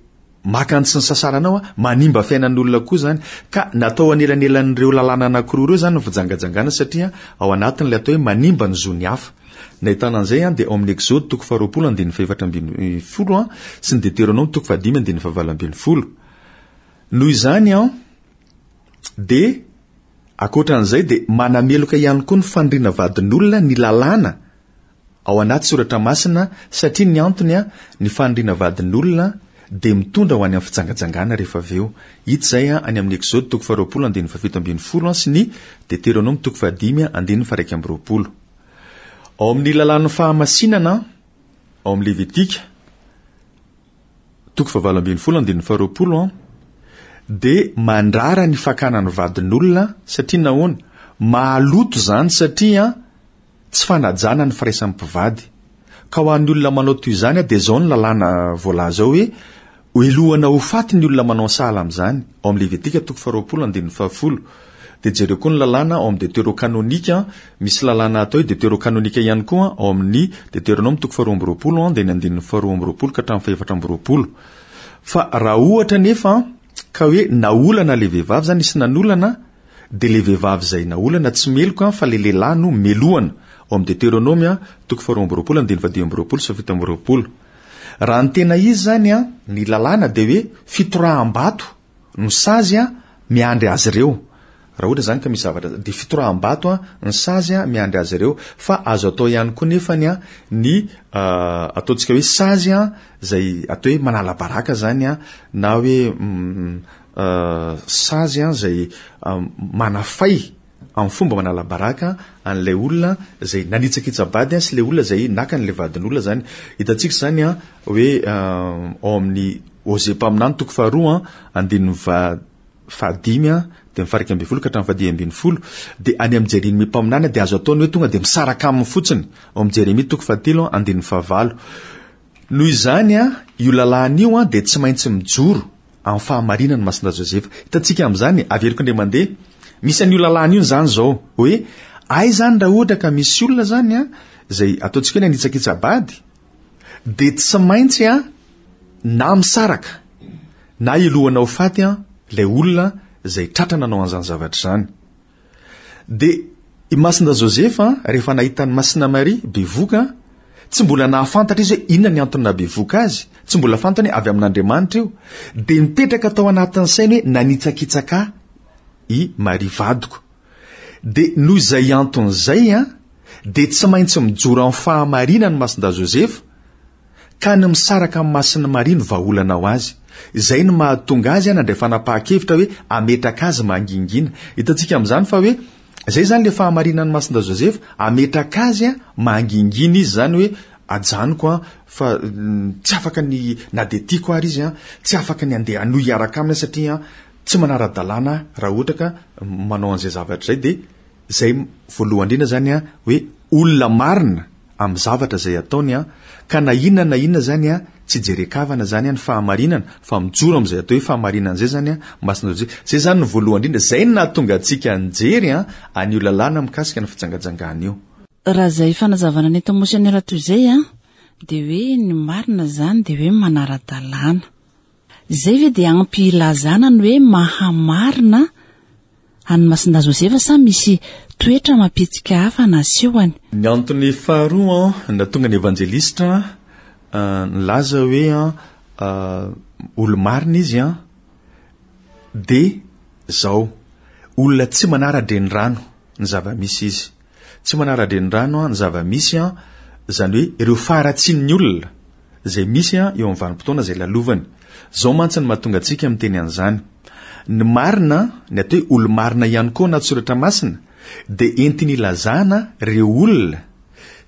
maka ny tsy nisasaranao manimba fiainan'olona koa izany, ka natao anelanelan'ireo lalàna anankiroa ireo izany ny fijangajangana satria ao anatin'ilay atao hoe manimba ny zon'ny hafa. Ny ahitana an'izay dia ao amin'ny Exode toko faharoapolo andininy fahefatra ambin'ny folo sy ny Deteronoma toko fahadimy andininy fahavalo ambin'ny folo. Noho izany an, dia ankoatra an'izay dia manameloka ihany koa ny faniriana vadin'olona ny lalàna ao anaty soratra masina satria ny antony an, ny faniriana vadin'olona dia mitondra ho any amin'ny fijangajangana rehefa avy eo. Hita izay an, any amin'ny Exode toko faharoapolo andininy fahafito ambin'ny folo an sy ny Deteronoma toko fahadimy andininy faha-iraika amby roapolo. Ao amin'ny lalàn'ny fahamasinana ao amin'ny Levitika, toko fahavalo ambin'ny folo andininy faharoapolo an, dia mandrara ny fakana ny vadin'olona satria nahoana? Mahaloto izany satria tsy fanajana ny firaisan'ny mpivady. Ka ho an'ny olona manao toy izany dia izao ny lalàna voalaza ao hoe helohana ho faty ny olona manao sahala amin'izany, ao amin'ny Levitika toko faharoapolo andininy fahafolo. Dia jereo koa ny lalàna ao amin'ny Deterokanonika, misy lalàna atao hoe Deterokanonika ihany koa ao amin'ny Deteronoma toko faharoa amby roapolo dia ny andininy faharoa amby roapolo ka hatramin'ny fahefatra amby roapolo. Fa raha ohatra anefa ka hoe naolana ilay vehivavy izany, nisy nanolana, dia ilay vehivavy izay naolana tsy meloka fa ilay lehilahy no melohana, ao amin'ny Deteronoma toko faharoa amby roapolo andininy fahadimy amby roapolo sy fahafito amby roapolo. Raha ny tena izy izany, ny lalàna dia hoe fitoraham-bato no sazy miandry azy ireo. Raha ohatra izany ka misy zavatra dia fitoraham-bato ny sazy miandry azy ireo. Fa azo atao ihany koa nefany ny ataontsika hoe sazy izay atao hoe manala baraka izany na hoe sazy izay manafay amin'ny fomba manala baraka an'ilay olona izay nanitsakitsa-bady sy ilay olona izay naka an'ilay vadin'olona izany. Hitantsika izany hoe ao amin'ny Hosea mpaminany toko faharoa andininy fahadimy dia ny faha-iraika ambin'ny folo ka hatramin'ny fahadimy ambin'ny folo dia any amin'i Jeremia mpaminany dia azo atao ny hoe tonga dia misaraka aminy fotsiny ao amin'i Jeremia toko fahatelo andininy fahavalo. Noho izany io lalàna io dia tsy maintsy mijoro amin'ny fahamarinan'i Masindahy Josefa. Hitantsika amin'izany, averiko indray mandeha, misy an'io lalàna io izany izao, hoe aiza izany raha ohatra ka misy olona izany an, izay ataontsika hoe nanitsakitsa-bady, dia tsy maintsy an, na misaraka, na helohana ho faty an, ilay olona izay tratra nanao an'izany zavatra izany. Dia i Masinda Josefa, rehefa nahita an'i Masina Maria bevoka, tsy mbola nahafantatra izy hoe inona ny antony nahabevoka azy, tsy mbola fantany hoe avy amin'Andriamanitra io, dia nipetraka tao anatin'ny sainy hoe nanitsakitsaka ahy i Maria vadiko. Dia noho izay antony izay, dia tsy maintsy mijoro amin'ny fahamarinany Masinda Josefa, Ka ny misaraka amin'i Masina Maria no vahaolana ho azy. Izay no mahatonga azy nandray fanapahan-kevitra hoe hametraka azy mangingina. Hitantsika amin'izany fa hoe izay izany ilay fahamarinan'i Masinda Josefa, hametraka azy mangingina izy izany hoe ajanoko an, fa tsy afaka ny, na dia tiako ary izy an, tsy afaka ny handeha hanohy hiaraka aminy aho satria tsy manara-dalàna raha ohatra ka manao an'izay zavatra izay dia izay voalohany indrindra izany an, hoe olona marina amin'ny zavatra izay ataony an, ka na inona na inona izany an, tsy jeren-kavana izany ny fahamarinana fa mijoro amin'izay atao hoe fahamarinana izay izany Masina Josefa. Izay izany no voalohany indrindra, izay no nahatonga antsika nijery an'io lalàna mikasika ny fijangajangana io. Raha izay fanazavana nentin'i Monseigneur toy izay dia hoe ny marina izany dia hoe manara-dalàna. Izay ve dia ampy hilazana ny hoe maha-marina an'i Masindahy Josefa sa misy toetra amam-pihetsika hafa nasehony? Ny antony faharoa nahatonga ny evanjelistra nilaza hoe olo-marina izy dia izao, olona tsy manara-drenirano ny zava-misy izy. Tsy manara-drenirano ny zava-misy, izany hoe ireo faharatsian'ny olona izay misy eo amin'ny vanim-potoana izay lalovany. Izao mantsy no mahatonga antsika miteny an'izany. Ny marina, ny atao hoe olo-marina ihany koa anaty soratra masina, dia entiny ilazana ireo olona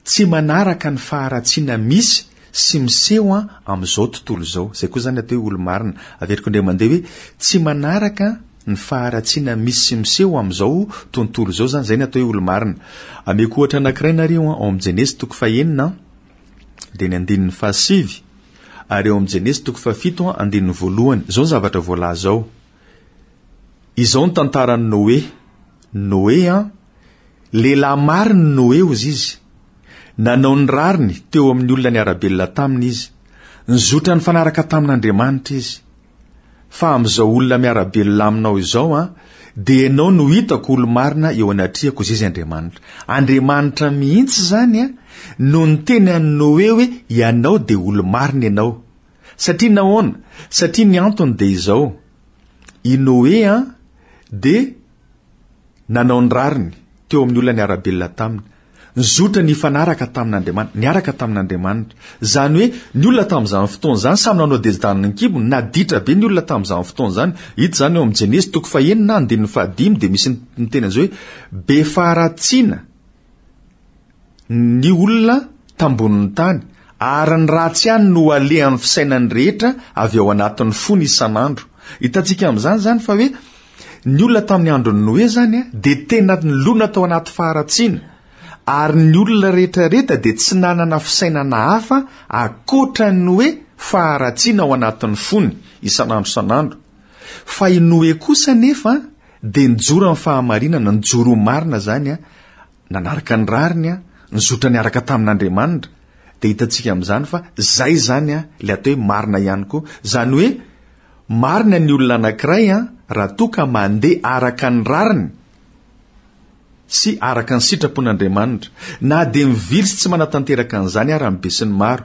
tsy manaraka ny faharatsiana misy sy miseho amin'izao tontolo izao. Izay koa izany ny atao hoe olo-marina. Averiko indray mandeha hoe tsy manaraka ny faharatsiana misy sy miseho amin'izao tontolo izao izany, izay ny atao hoe olo-marina. Ameko ohatra anankiray nareo ao amin'ny Jenesy toko fahenina dia ny andininy fahasivy ary ao amin'ny Jenesy toko fahafito andininy voalohany. Izao ny zavatra voalaza ao. Izao ny tantaran'i Noe. Noe an, lehilahy marin'i Noe hozy izy. Nanao ny rariny teo amin'ny olona niara-belona taminy izy. Nizotra nifanaraka tamin'Andriamanitra izy. Fa amin'izao olona miara-belona aminao izao an, dia ianao no hitako olo-marina eo anatrehako, hozy izy Andriamanitra. Andriamanitra mihitsy izany an, no niteny an'i Noe hoe ianao dia olo-marina ianao. Satria nahoana? Satria ny antony dia izao, i Noe an, dia nanao ny rariny teo amin'ny olona niara-belona taminy. Nizotra nifanaraka tamin'Andriamanitra, niaraka tamin'Andriamanitra. Izany hoe, ny olona tamin'izany fotoana izany samy nanao desidaniny ny kibony, naditra be ny olona tamin'izany fotoana izany. Hita izany eo amin'ny Jenesy toko fahenina, andininy fahadimy, dia misy miteny an'izao hoe, be faharatsiana ny olona tambonin'ny tany, ary ny ratsy ihany no alehan'ny fisainan'ny rehetra avy ao anatin'ny fony isan'andro. Hitantsika amin'izany izany fa hoe ny olona tamin'ny andron'i Noe izany dia tena nilona tao anaty faharatsiana, ary ny olona rehetrarehetra dia tsy nanana fisainana hafa ankoatra ny hoe faharatsiana ao anatin'ny fony isan'andro isan'andro. Fa i Noe kosa anefa dia nijoro amin'ny fahamarinana, nijoro ho marina izany, nanaraka ny rariny, nizotra niaraka tamin'Andriamanitra, dia hitantsika amin'izany fa izay izany ilay atao hoe marina ihany koa. Izany hoe marina ny olona anankiray raha toa ka mandeha araka ny rariny sy araka ny sitrapon'Andriamanitra, na dia mivily sy tsy manatanteraka an'izany ara ny besinimaro.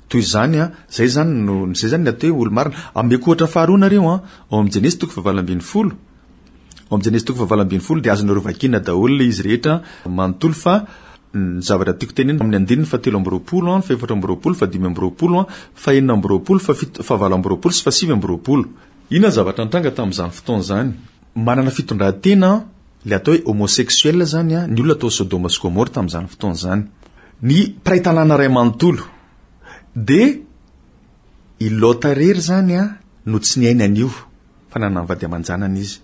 Toy izany, izay izany no, izay izany ny atao hoe olo-marina. Ameko ohatra faharoa nareo, ao amin'ny Jenesy toko fahavalo ambinifolo. Ao amin'ny Jenesy toko fahavalo ambinifolo dia azonareo vakiana daholo ilay izy rehetra manontolo fa ny zavatra tiako tenenina amin'ny andininy fahatelo amby roapolo, ny fahefatra amby roapolo, fahadimy amby roapolo, fahenina amby roapolo, fahafito, fahavalo amby roapolo sy fahasivy amby roapolo. Inona ny zavatra nitranga tamin'izany fotoana izany? Manana fitondran-tena ilay atao hoe homosexuel izany ny olona tao Sodoma sy Gomora tamin'izany fotoana izany. Ny mpiray tanàna iray manontolo dia i Lota irery izany no tsy niaina an'io. fa nanana ny vady aman-janany izy.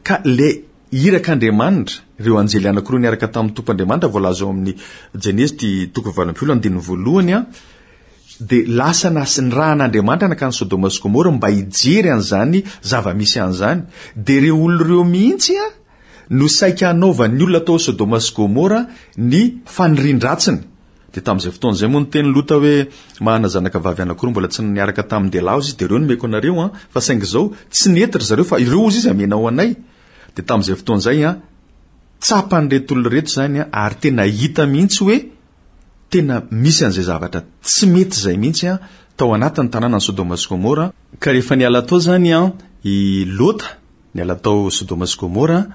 Ka ilay irak'Andriamanitra, ireo anjely anankiroa niaraka tamin'ny Tompo Andriamanitra voalaza ao amin'ny Jenezy ty toko valo ambin'ny folo andininy voalohany an, dia lasa nas- nirahan'Andriamanitra nankany Sodoma sy Gomora mba hijery an'izany zava-misy an'izany. Dia ireo olona ireo mihitsy an, no saika hanaovan'ny olona tao Sodoma sy Gomora ny fanirian-dratsiny. Dia tamin'izay fotoana izay moa niteny Lota hoe, Manana zanaka vavy anankiroa mbola tsy niaraka tamin-dehilahy hozy izy, dia ireo nomeko anareo an, fa saingy izao, tsy nety ry zareo fa ireo hozy izy amenao anay. Dia tamin'izay fotoana izay an, tsapan'ireto olona ireto izany an, ary tena hita mihitsy hoe tena misy an'izay zavatra tsy mety izay mihitsy an, tao anatin'ny tanànan'i Sodoma sy Gomora. Ka rehefa niala tao izany an, i Lota, Niala tao Sodoma sy Gomora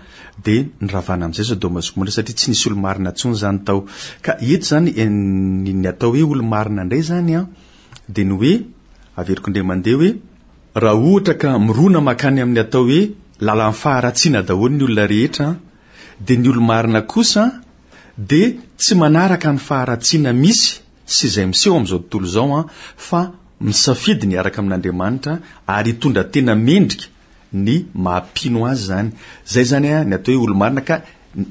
dia niravana amin'izay Sodoma sy Gomora satria tsy nisy olo-marina intsony izany tao. Ka eto izany ny ny atao hoe olo-marina indray izany an, dia ny hoe, averiko indray mandeha hoe, raha ohatra ka mirona mankany amin'ny atao hoe lalan'ny faharatsiana daholo ny olona rehetra an, dia ny olo-marina kosa dia tsy manaraka ny faharatsiana misy sy izay miseho amin'izao tontolo izao an, fa misafidy ny hiaraka amin'Andriamanitra ary hitondra tena mendrika ny maha mpino azy izany. Izay izany ny atao hoe olo-marina ka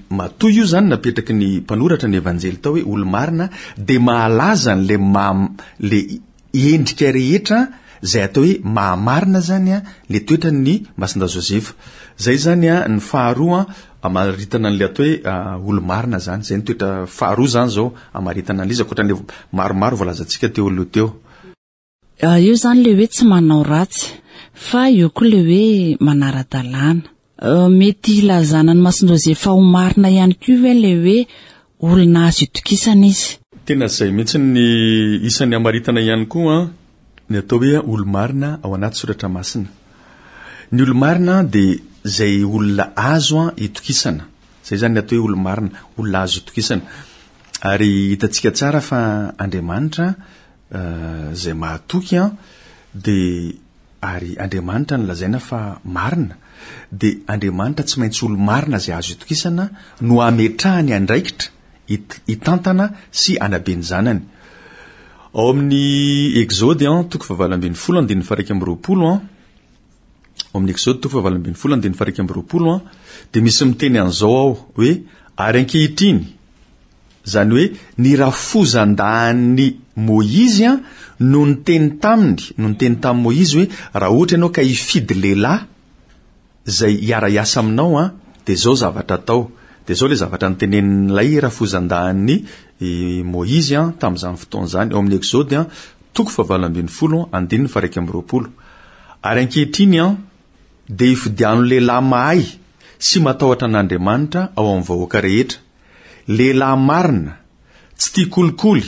matoa io izany napetraky ny mpanoratra ny evanjely tao hoe olo-marina dia mahalaza an'ilay maha le endrika rehetra izay atao hoe mahamarina zany a le toetran'ny Masindahy Josefa. Zay zany a ny faharoa amaritana an'le atao hoe olo-marina zany. Zay ny toetra faharoa zany zao amaritana an'le izy ankoatran'le maromaro voalazantsika teo aloha teo. Eo zany le hoe tsy manao ratsy fa eo koa le hoe manara-dalàna. Mety hilazana an'i Masinjozefa ho marina ihany koa ve le hoe olona azo itokisana izy? Tena izay mihitsy ny isan'ny hamaritana ihany koa ny atao hoe olo-marina ao anaty soratra masina. Ny olo-marina dia izay olona azo itokisana. Izay izany ny atao hoe olo-marina, olona azo itokisana. Ary hitantsika tsara fa Andriamanitra izay mahatoky an, dia ary Andriamanitra no lazaina fa marina, dia Andriamanitra tsy maintsy olo-marina izay azo itokisana no ametrahany andraikitra hitantana sy hanabe ny zanany. Ao amin'ny Exode an, toko fahavalo ambin'ny folo andininy faha-21 an, ao amin'ny Exode toko fahavalo ambin'ny folo andininy faha-21 an, dia misy miteny an'izao ao hoe ary ankehitriny, Izany hoe ny rafozan-dahin'i Môizy no niteny taminy, no niteny tamin'i Môizy hoe, raha ohatra ianao ka hifidy lehilahy izay hiara-hiasa aminao, dia izao zavatra atao. Dia izao ilay zavatra notenenin'ilay rafozan-dahin'i Môizy tamin'izany fotoana izany, ao amin'ny Exode toko fahavalo ambin'ny folo, andininy faha-21. Ary ankehitriny, dia ifidiano lehilahy mahay sy matahotra an'Andriamanitra ao amin'ny vahoaka rehetra, Lehilahy marina, tsy tia kolikoly,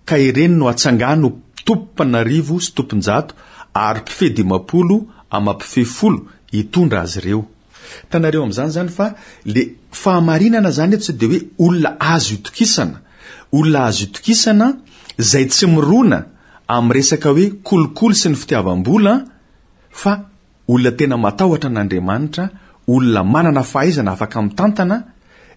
ka ireny no atsangano ho tompom-panarivo sy tompon-jato ary mpifehy 50 amam-pifehy folo hitondra azy ireo. Hitanareo amin'izany izany fa le fahamarinana izany eto tsy dia hoe olona azo itokisana, olona azo itokisana izay tsy mirona amin'ny resaka hoe kolikoly sy ny fitiavam-bola fa Olona tena matahotra an'Andriamanitra, olona manana fahaizana afaka mitantana,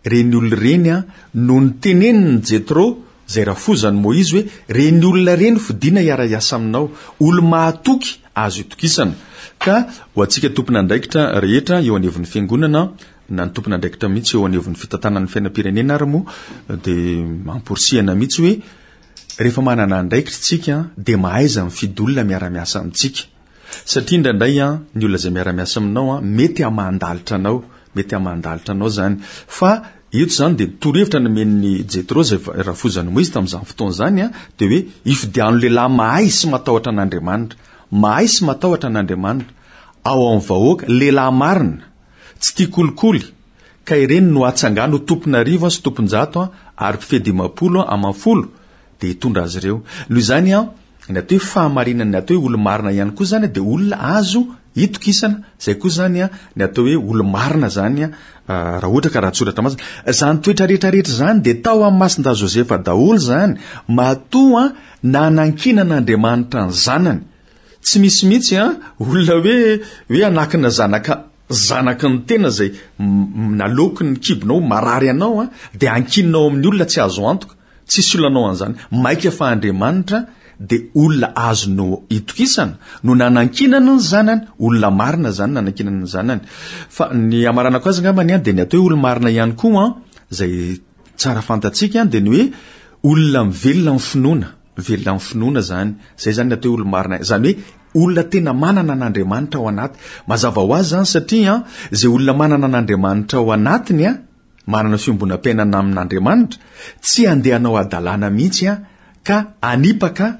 ireny olona ireny no notenenin'i Jetro, izay rafozan'i Moizy hoe, ireny olona ireny fidina hiara-hiasa aminao, olo-mahatoky azo itokisana. Ka ho antsika tompon'andraikitra rehetra eo anivon'ny Fiangonana, na ny tompon'andraikitra mihitsy eo anivon'ny fitantanana ny fiainam-pirenena ary moa, dia amporisihana mihitsy hoe, rehefa manana andraikitra isika dia mahaiza mifidy olona miara-miasa amintsika. Satria indraindray an, ny olona izay miara-miasa aminao an, mety hamahan-dalitra anao, mety hamahan-dalitra anao izany. Fa eto izany dia torohevitra nomen'i Jetro izay rafozan'i Moizy tamin'izany fotoana izany an, dia hoe ifidiano lehilahy mahay sy matahotra an'Andriamanitra. Mahay sy matahotra an'Andriamanitra. Ao amin'ny vahoaka, lehilahy marina, tsy tia kolikoly, ka ireny no atsangano ho tompon'arivo sy tompon-jato ary mpifehy 50 aman-folo, dia hitondra azy ireo. Noho izany an, ny atao hoe fahamarinana, ny atao hoe olo-marina ihany koa izany dia olona azo itokisana. Izay koa izany an, ny atao hoe olo-marina izany an, raha ohatra ka raha-tsoratra masina. Izany toetra rehetra rehetra izany dia tao amin'ny Masindahy Josefa daholo izany, matoa nanankinan'Andriamanitra ny zanany. Tsy misy mihitsy an, olona hoe, hoe hanakina zanaka zanaky ny tena izay naloaky ny kibonao, marary anao an, dia ankininao amin'ny olona tsy azo antoka. Tsisy olona hanao an'izany. Maika fa Andriamanitra dia olona azonao itokisana no nanankinany ny zanany, olona marina izany nanankinany ny zanany. Fa ny hamaranako azy angambany an, dia ny atao hoe olo-marina ihany koa an, izay tsara fantatsika an, dia ny hoe olona mivelona amin'ny finoana, mivelona amin'ny finoana izany. Izay izany ny atao hoe olo-marina. Izany hoe olona tena manana an'Andriamanitra ao anaty. Mazava ho azy izany satria an, izay olona manana an'Andriamanitra ao anatiny an, manana fiombonam-piainana amin'Andriamanitra, tsy handeha hanao hadalana mihitsy an, ka hanipaka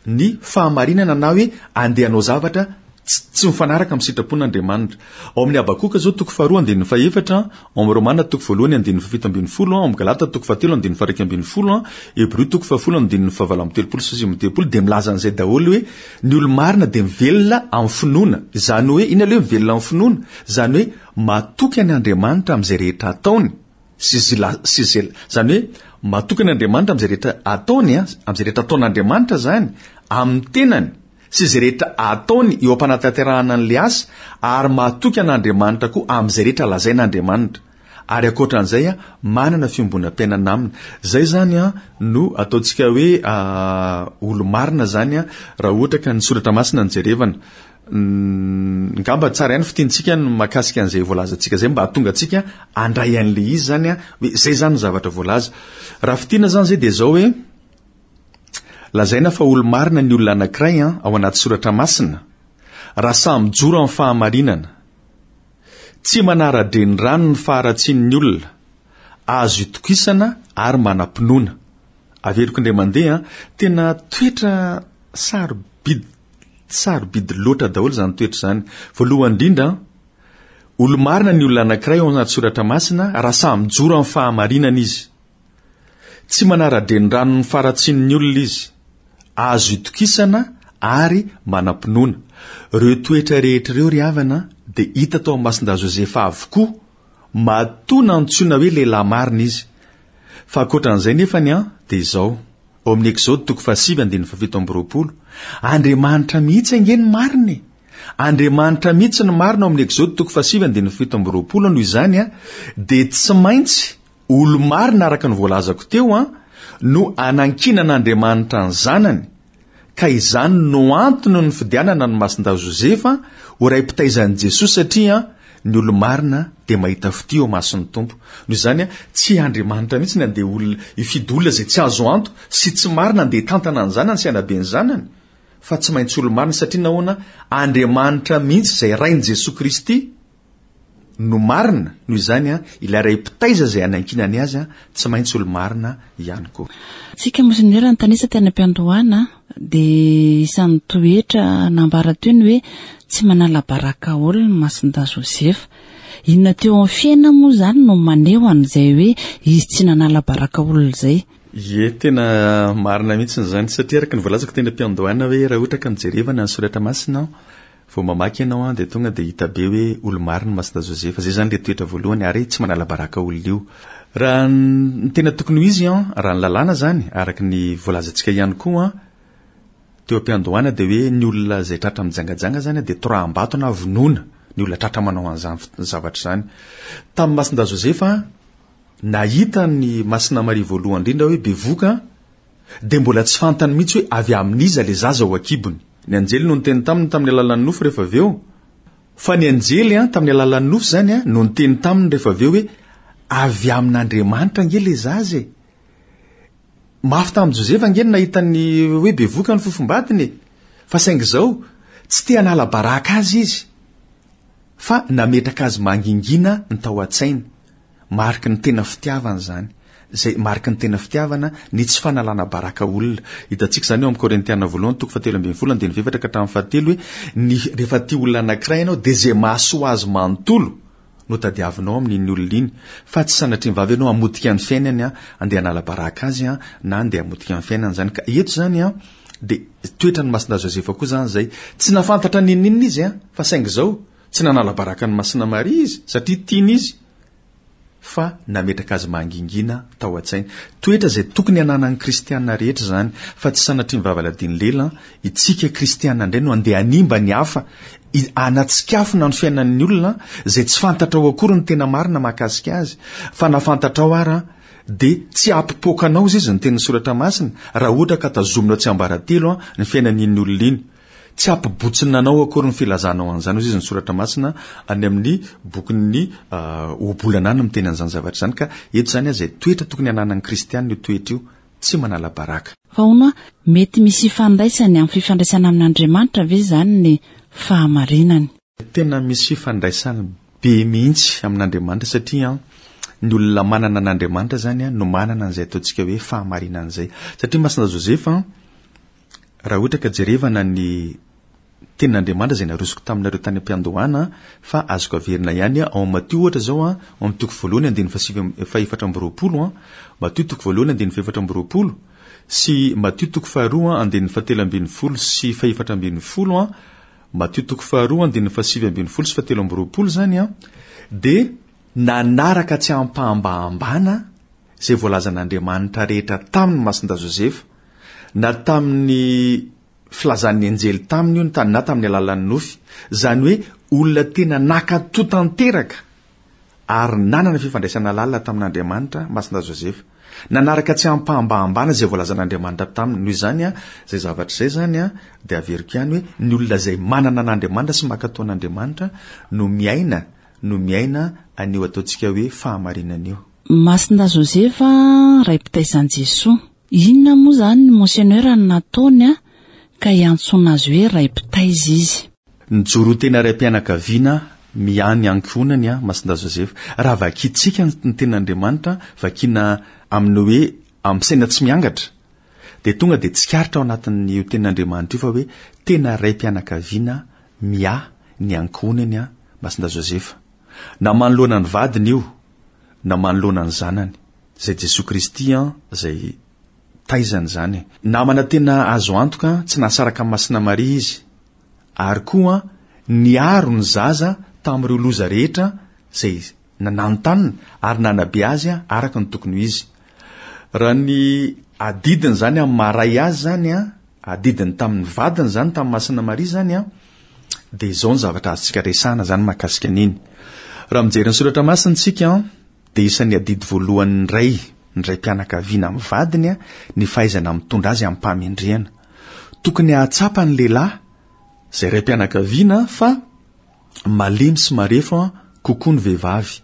ny fahamarinana na hoe handeha hanao zavatra tsy mifanaraka amin'ny sitrapon'Andriamanitra. Ao amin'ny Habakoka izao toko faharoa andininy fahefatra, ao amin'ny Romana toko voalohany andininy fahafito ambin'ny folo, ao amin'ny Galata toko fahatelo andininy faha-11, Hebreo toko fahafolo andininy fahavalo amby telopolo sy sivy amby telopolo dia milaza an'izay daholo hoe ny olo-marina dia mivelona amin'ny finoana. Izany hoe inona ilay hoe mivelona amin'ny finoana? Izany hoe Matoky an' Andriamanitra amin'izay rehetra ataony sy zila sy izay, izany hoe matoky an' Andriamanitra amin'izay rehetra ataony an, amin'izay rehetra ataon'Andriamanitra izany amin'ny tenany sy izay rehetra ataony eo am-panatanterahana an'ilay asa, ary matoky an'Andriamanitra koa amin'izay rehetra lazain'Andriamanitra. Ary ankoatra an'izay an, manana fiombonam-piainana aminy. Izay izany an no ataontsika hoe olo-marina izany an, raha ohatra ka ny soratra masina no jerevana. Ngamba tsara ihany fitiantsika ny mahakasika an'izay voalazantsika izay mba hahatonga antsika handray an'ilay izy izany an, hoe izay izany ny zavatra voalaza. Raha fitiana izany izay dia izao hoe, Lazaina fa olo-marina ny olona anankiray an, ao anaty soratra masina, raha sahy mijoro amin'ny fahamarinana. Tsy manara-drenirano ny faharatsian'ny olona, azo itokisana ary manam-pinoana. Averiko indray mandeha an, tena toetra sarobidy sarobidy loatra daholo izany toetra izany. Voalohany indrindra an, olo-marina ny olona anankiray ao anaty soratra masina raha sahy mijoro amin'ny fahamarinana izy. Tsy manara-drenirano ny faharatsian'ny olona izy. Azo itokisana ary manam-pinoana. Ireo toetra rehetra ireo ry havana dia hita tao amin'ny Masindahy Josefa avokoa, matoa nantsoina hoe lehilahy marina izy. Fa ankoatran'izay nefany an, dia izao, ao amin'ny Exode toko fahasivy andininy fahafito amby roapolo, Andriamanitra mihitsy ange no marina e! Andriamanitra mihitsy no marina ao amin'ny Exode toko fahasivy andininy fahafito amby roapolo, noho izany an, dia tsy maintsy Olo-marina araka ny voalazako teo an, no anankinan'Andriamanitra ny Zanany, ka izany no antony nifidianana an'i Masindahy Josefa ho ray mpitaiza an'i Jesoa satria ny olo-marina dia mahita fitia eo imason'ny Tompo. Noho izany an, tsy Andriamanitra mihitsy ny andeha olona hifidy olona izay tsy azo anto sy tsy marina andeha hitantana ny zanany sy hanabe ny zanany, fa tsy maintsy olo-marina satria nahoana? Andriamanitra mihitsy izay Rain'i Jesoa Kristy no marina, noho izany ilay ray mpitaiza izay anankinany azy tsy maintsy olo-marina ihany koa. Tsika Monsenera nitanisa teny am-piandohana dia isan'ny toetra nambara teo ny hoe tsy manala baraka olona ny Masindahy Josefa. Inona teo amin'ny fiainana moa izany no maneho an'izay hoe izy tsy nanala baraka olona izay? Ie, tena marina mihitsy izany satria araka ny voalazako teny am-piandohana hoe raha ohatra ka nojerevana ny soratra masina Vao mamaky ianao an dia tonga dia hita be hoe olo-marina Masina Josefa. Izay izany ilay toetra voalohany ary tsy manala baraka olona io. Raha ny tena tokony ho izy an, raha ny lalàna izany, araka ny voalazantsika ihany koa an, teo am-piandohana dia hoe ny olona izay tratra mijangajanga izany dia toraham-bato na vonoina ny olona tratra manao an'izany zavatra izany. Tamin'i Masindahy Josefa, nahita an'i Masina Maria voalohany indrindra hoe bevoka, dia mbola tsy fantany mihitsy hoe avy amin'iza ilay zaza ao an-kibony. Ny anjely no niteny taminy tamin'ny alalan'ny nofy rehefa avy eo. Fa ny anjely an, tamin'ny alalan'ny nofy izany an, no niteny taminy rehefa avy eo hoe avy amin'Andriamanitra ange ilay zaza e. Mafy tamin'i Josefa ange ny nahita ny hoe bevoka ny fofombadiny e. Fa saingy izao, tsy te hanala baraka azy izy, fa nametraka azy mangingina ny tao an-tsainy. Mariky ny tena fitiavana izany. Izay mariky ny tena fitiavana, ny tsy fanalana baraka olona. Hitantsika izany ao amin'ny Korintiana voalohany toko fahatelo ambin'ny folo andininy fahefatra ka hatramin'ny fahatelo hoe ny rehefa tia olona anankiray ianao dia izay mahasoa azy manontolo no tadiavinao amin'iny olona iny fa tsy sanatria vavy ianao hamotika ny fiainany an, andeha hanala baraka azy an, na andeha hamotika ny fiainany izany. Ka eto izany an, dia toetran'i Masindahy Josefa koa izany izay. Tsy nahafantatra n'inon'inona izy an, fa saingy izao, Tsy nanala baraka an'i Masina Maria izy satria tiany izy fa nametraka azy mangingina tao an-tsainy. Toetra izay tokony hananan'ny kristiana rehetra izany fa tsy sanatria ny vavaladin'ny lela. Itsika kristiana indray no andeha hanimba ny hafa, hanatsikafona ny fiainan'ny olona izay tsy fantatrao akory ny tena marina mahakasika azy. Fa na fantatrao ara dia tsy hampipoaka anao izy ny tenin'ny soratra masina raha ohatra ka tazominao tsiambaratelo ny fiainan'iny olona iny. Tsy hampibotsina anao akory ny filazanao an'izany, hoy izy ny Soratra Masina any amin'ny bokin'ny Ohabolana any miteny an'izany zavatra izany. Ka eto izany izay toetra tokony hananan'ny kristiana io toetra io, tsy manala baraka. Fa hono hoa, mety misy ifandraisany amin'ny fifandraisana amin'Andriamanitra ve izany ny fahamarinany? Tena misy fifandraisany be mihitsy amin'Andriamanitra satria ny olona manana an'Andriamanitra izany no manana an'izay ataontsika hoe fahamarinana izay. Satria Masina Josefa Raha ohatra ka jerevana ny tenin'Andriamanitra izay narosoko taminareo tany am-piandohana fa azoko averina ihany ao amin'ny Matio ohatra izao ao amin'ny toko voalohany andininy fahasivy fahefatra amby roapolo Matio toko voalohany andininy fahefatra amby roapolo sy Matio toko faharoa andininy fahatelo ambin'ny folo sy fahefatra ambin'ny folo Matio toko faharoa andininy fahasivy ambin'ny folo sy fahatelo amby roapolo izany dia nanaraka tsy ampahambahambana izay voalazan'Andriamanitra rehetra taminy Masindahy Josefa na tamin'ny filazan'ny anjely taminy io na tamin'ny alalan'ny nofy, izany hoe olona tena nankatò tanteraka ary nanana fifandraisana lalina tamin'Andriamanitra Masindahy Josefa. Nanaraka tsy ampahambahambana izay voalazan'Andriamanitra taminy. Noho izany, izay zavatra izay izany dia averiko ihany hoe ny olona izay manana an'Andriamanitra sy mankatò an'Andriamanitra no miaina no miaina an'io ataontsika hoe fahamarinana io. Masindahy Josefa, ray mpitaiza an'i Jesoa. Inona moa izany ny Monseigneur no nataony a, ka iantsoana azy hoe ray mpitaiza izy? Nijoro ho tena raim-pianakaviana miahy ny ankohonany a, Masindahy Josefa. Raha vakintsika ny tenin'Andriamanitra, vakiana amin'ny hoe amin'ny saina tsy miangatra, dia tonga dia tsikaritra ao anatin'io tenin'Andriamanitra io fa hoe tena raim-pianakaviana miahy ny ankohonany a, Masindahy Josefa. Na manoloana ny vadiny io, na manoloana ny zanany. Izay Jesoa Kristy an, izay taizany izany e. Namana tena azo antoka, tsy nahasaraka an'i Masina Maria izy, ary koa niaro ny zaza tamin'ireo loza rehetra izay nananontanona ary nanabe azy araka ny tokony ho izy. Raha ny adidiny izany amin'ny maha ray azy izany an, adidiny tamin'ny vadiny izany, tamin'i Masina Maria izany an, dia izao ny zavatra azontsika resahana izany mahakasika an'iny. Raha mijery ny soratra masina isika an, dia isan'ny adidy voalohan'ny ray, ny raim-pianakaviana amin'ny vadiny, ny fahaizana mitondra azy amim-pahamendrehana. Tokony hahatsapa ny lehilahy, izay raim-pianakaviana, fa malemy sy marefo kokoa ny vehivavy.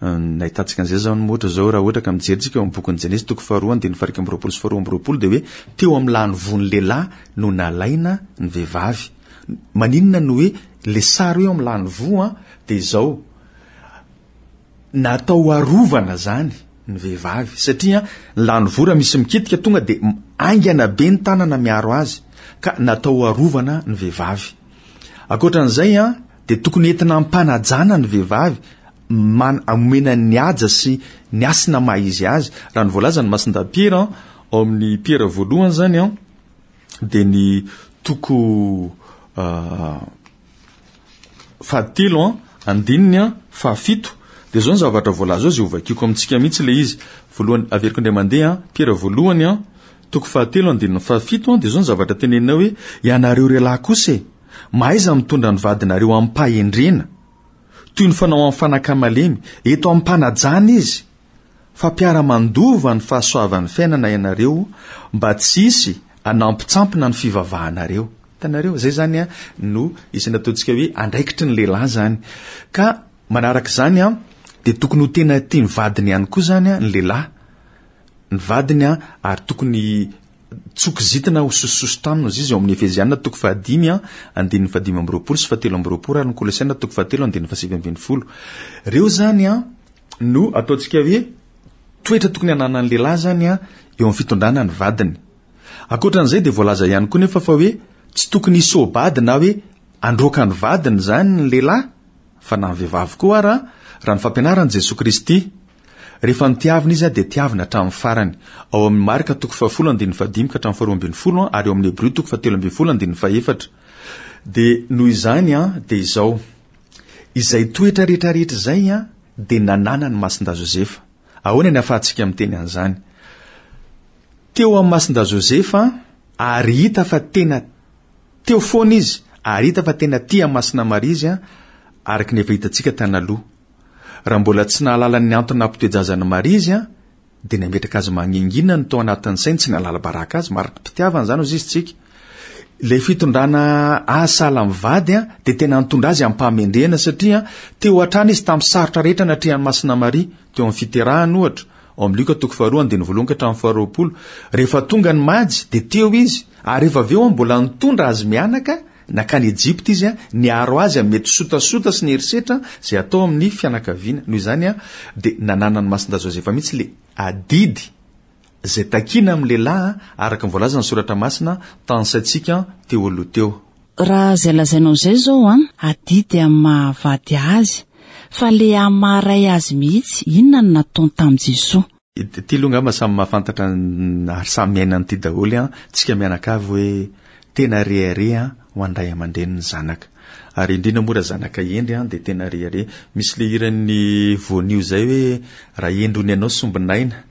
Nahitantsika an'izay izao ny ohatra izao, raha ohatra ka mijery tsika eo amin'ny bokin'ny Jenesy toko faharoa andininy faha 21 sy faharoa 22 dia hoe teo amin'ny lany voan'ny lehilahy no nalaina ny vehivavy. Maninona no hoe le sary hoe eo amin'ny lany voa dia izao, Natao ho arovana zany ny vehivavy satria ny lany voa raha misy mikitika tonga dia haingana be ny tanana miaro azy ka natao ho arovana ny vehivavy. Ankoatran'izay an dia tokony entina ampanajana ny vehivavy man- omena ny haja sy ny hasina maha izy azy. Raha ny voalazan'i Masindahy Piera ao amin'ny Piera voalohany zany an dia ny toko fahatelo an, andininy an, fahafito, dia izao ny zavatra voalaza ao izay hovakiako amintsika mihitsy ilay izy. Voalohany, averiko indray mandeha an, Piera voalohany an, toko fahatelo andininy fahafito an, dia izao ny zavatra tenenina hoe, ianareo lehilahy kosa e, mahaiza mitondra ny vadinareo amim-pahendrena, toy ny fanao amin'ny fanaka malemy, eto am-panajana izy, fa mpiara-mandova ny fahasoavan'ny fiainana ianareo mba tsy hisy hanampitsampina ny fivavahanareo. Hitanareo? Izay izany an, no isan'ny ataontsika hoe andraikitry ny lehilahy izany. Ka manaraka izany an, dia tokony ho tena tia ny vadiny ihany koa izany an, ny lehilahy. Ny vadiny an, ary tokony tsy ho kizitina ho sosososo-tanana hozy izy ao amin'ny Efeziana toko fahadimy an, andininy fahadimy amby roapolo sy fahatelo amby roapolo ary ny Kolosiana toko fahatelo andininy fahasivy ambin'ny folo. Ireo izany an, no ataontsika hoe toetra tokony hananan'ny lehilahy izany an, eo amin'ny fitondrana ny vadiny. Ankoatra an'izay dia voalaza ihany koa nefa fa hoe tsy tokony hisoa-bady na hoe handroaka ny vadiny izany ny lehilahy fa na ny vehivavy koa ara raha ny fampianaran'i Jesoa Kristy. Rehefa notiavina izy dia tiavina hatramin'ny farany. Ao amin'ny Marka toko fahafolo andininy fahadimy ka hatramin'ny faharoa ambin'ny folo ary ao amin'ny Hebrio toko fahatelo ambin'ny folo andininy fahefatra. Dia noho izany dia izao. Izay toetra rehetra rehetra izay dia nananan'i Masindahy Josefa. Ahoana ny ahafahantsika miteny an'izany? Teo amin'i Masindahy Josefa ary hita fa tena teo foana izy ary hita fa tena tia an'i Masina Maria izy araka ny efa hitantsika tany aloha. Raha mbola tsy nahalala ny antony nampitoe-jaza an'i Maria izy dia nametraka azy mangingina ny tao anatin'ny sainy, tsy nahalala baraka azy, mari-pitiavana izany hozy izy tsika. Ilay fitondrana azy sahala amin'ny vady dia tena nitondra azy amim-pahamendrehana satria teo hatrany izy tamin'ny sarotra rehetra natrehan'i Masina Maria, teo amin'ny fiterahany ohatra, ao amin'ny Lioka toko faharoa andininy voalohany ka hatramin'ny faharoapolo. Rehefa tonga ny Majy dia teo izy, ary rehefa avy eo mbola nitondra azy mianaka nankany Ejipta izy, niaro azy amin'ny mety sotasota sy ny herisetra izay atao amin'ny fianakaviana. Noho izany dia nananan'i Masindahy Josefa mihitsy ilay adidy izay takiana amin'ny lehilahy araka ny voalazan'ny Soratra Masina tanisaintsika teo aloha teo. Raha izay lazainao izay izao an, adidy amin'ny maha vady azy, fa le amin'ny maha ray azy mihitsy, inona no nataony tamin'i Jesoa? Ity aloha angamba samy mahafantatra ary samy miaina an'ity daholo an, tsika mianakavy hoe tena rehareha ho an'ny ray aman-dreny ny zanaka. Ary indrindra moa raha zanaka hendry an dia tena rehareha. Misy le hiran'ny Voanio izay hoe raha hendry hono ianao sombinaina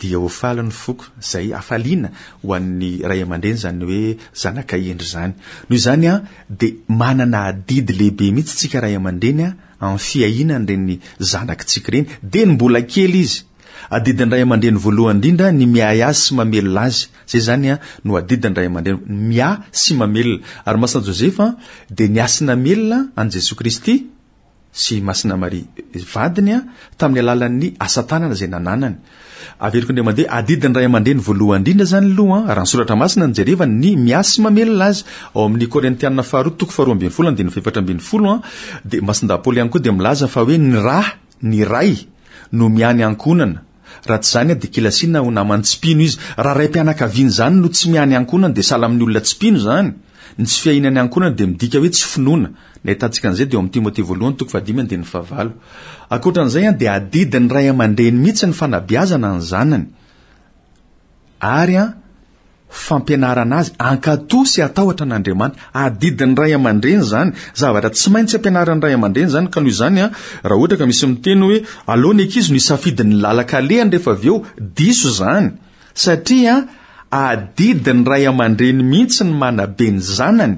dia ho faly ny foko. Izay hafaliana ho an'ny ray aman-dreny izany hoe zanaka hendry izany. Noho izany an dia manana adidy lehibe mihitsy tsika ray aman-dreny an amin'ny fiahiana an'ireny zanakitsika ireny, dieny mbola kely izy. Adidin'ny ray aman-dreny voalohany indrindra ny miahy azy sy mamelona azy. Izay izany no adidin'ny ray aman-dreny, miahy sy mamelona. Ary Masina Josefa dia niahy sy namelona an'i Jesoa Kristy sy Masina Maria vadiny tamin'ny alalan'ny asa tanana izay nananany. Averiko indray mandeha, adidin'ny ray aman-dreny voalohany indrindra izany aloha, raha ny soratra masina no jerevana, ny miahy sy mamelona azy. Ao amin'ny Korintiana faharoa toko faharoa ambin'ny folo andininy fahefatra ambin'ny folo, dia Masindahy Paoly ihany koa dia milaza fa hoe ny ra, ny ray, no miahy ny ankohonana. Raha tsy izany dia kilasiana ho naman'ny tsy mpino izy. Raha raim-pianakaviana izany no tsy miahy ny ankohonany dia sahala amin'ny olona tsy mpino izany. Ny tsy fiahiana ny ankohonana dia midika hoe tsy finoana. Ny ahitantsika an'izay dia ao amin'ny Timothée voalohany toko fahadimy andininy fahavalo. Ankoatra an'izay dia adidin'ny ray aman-dreny mihitsy ny fanabeazana ny zanany ary fampianarana azy hankatò sy hatahotra an'Andriamanitra. Adidin'ny ray aman-dreny izany. Zavatra tsy maintsy ampianarin'ny ray aman-dreny izany ka noho izany raha ohatra ka misy miteny hoe aleo ny ankizy no hisafidy ny lalan-kalehany rehefa avy eo, diso izany. Satria adidin'ny ray aman-dreny mihitsy ny manabe ny zanany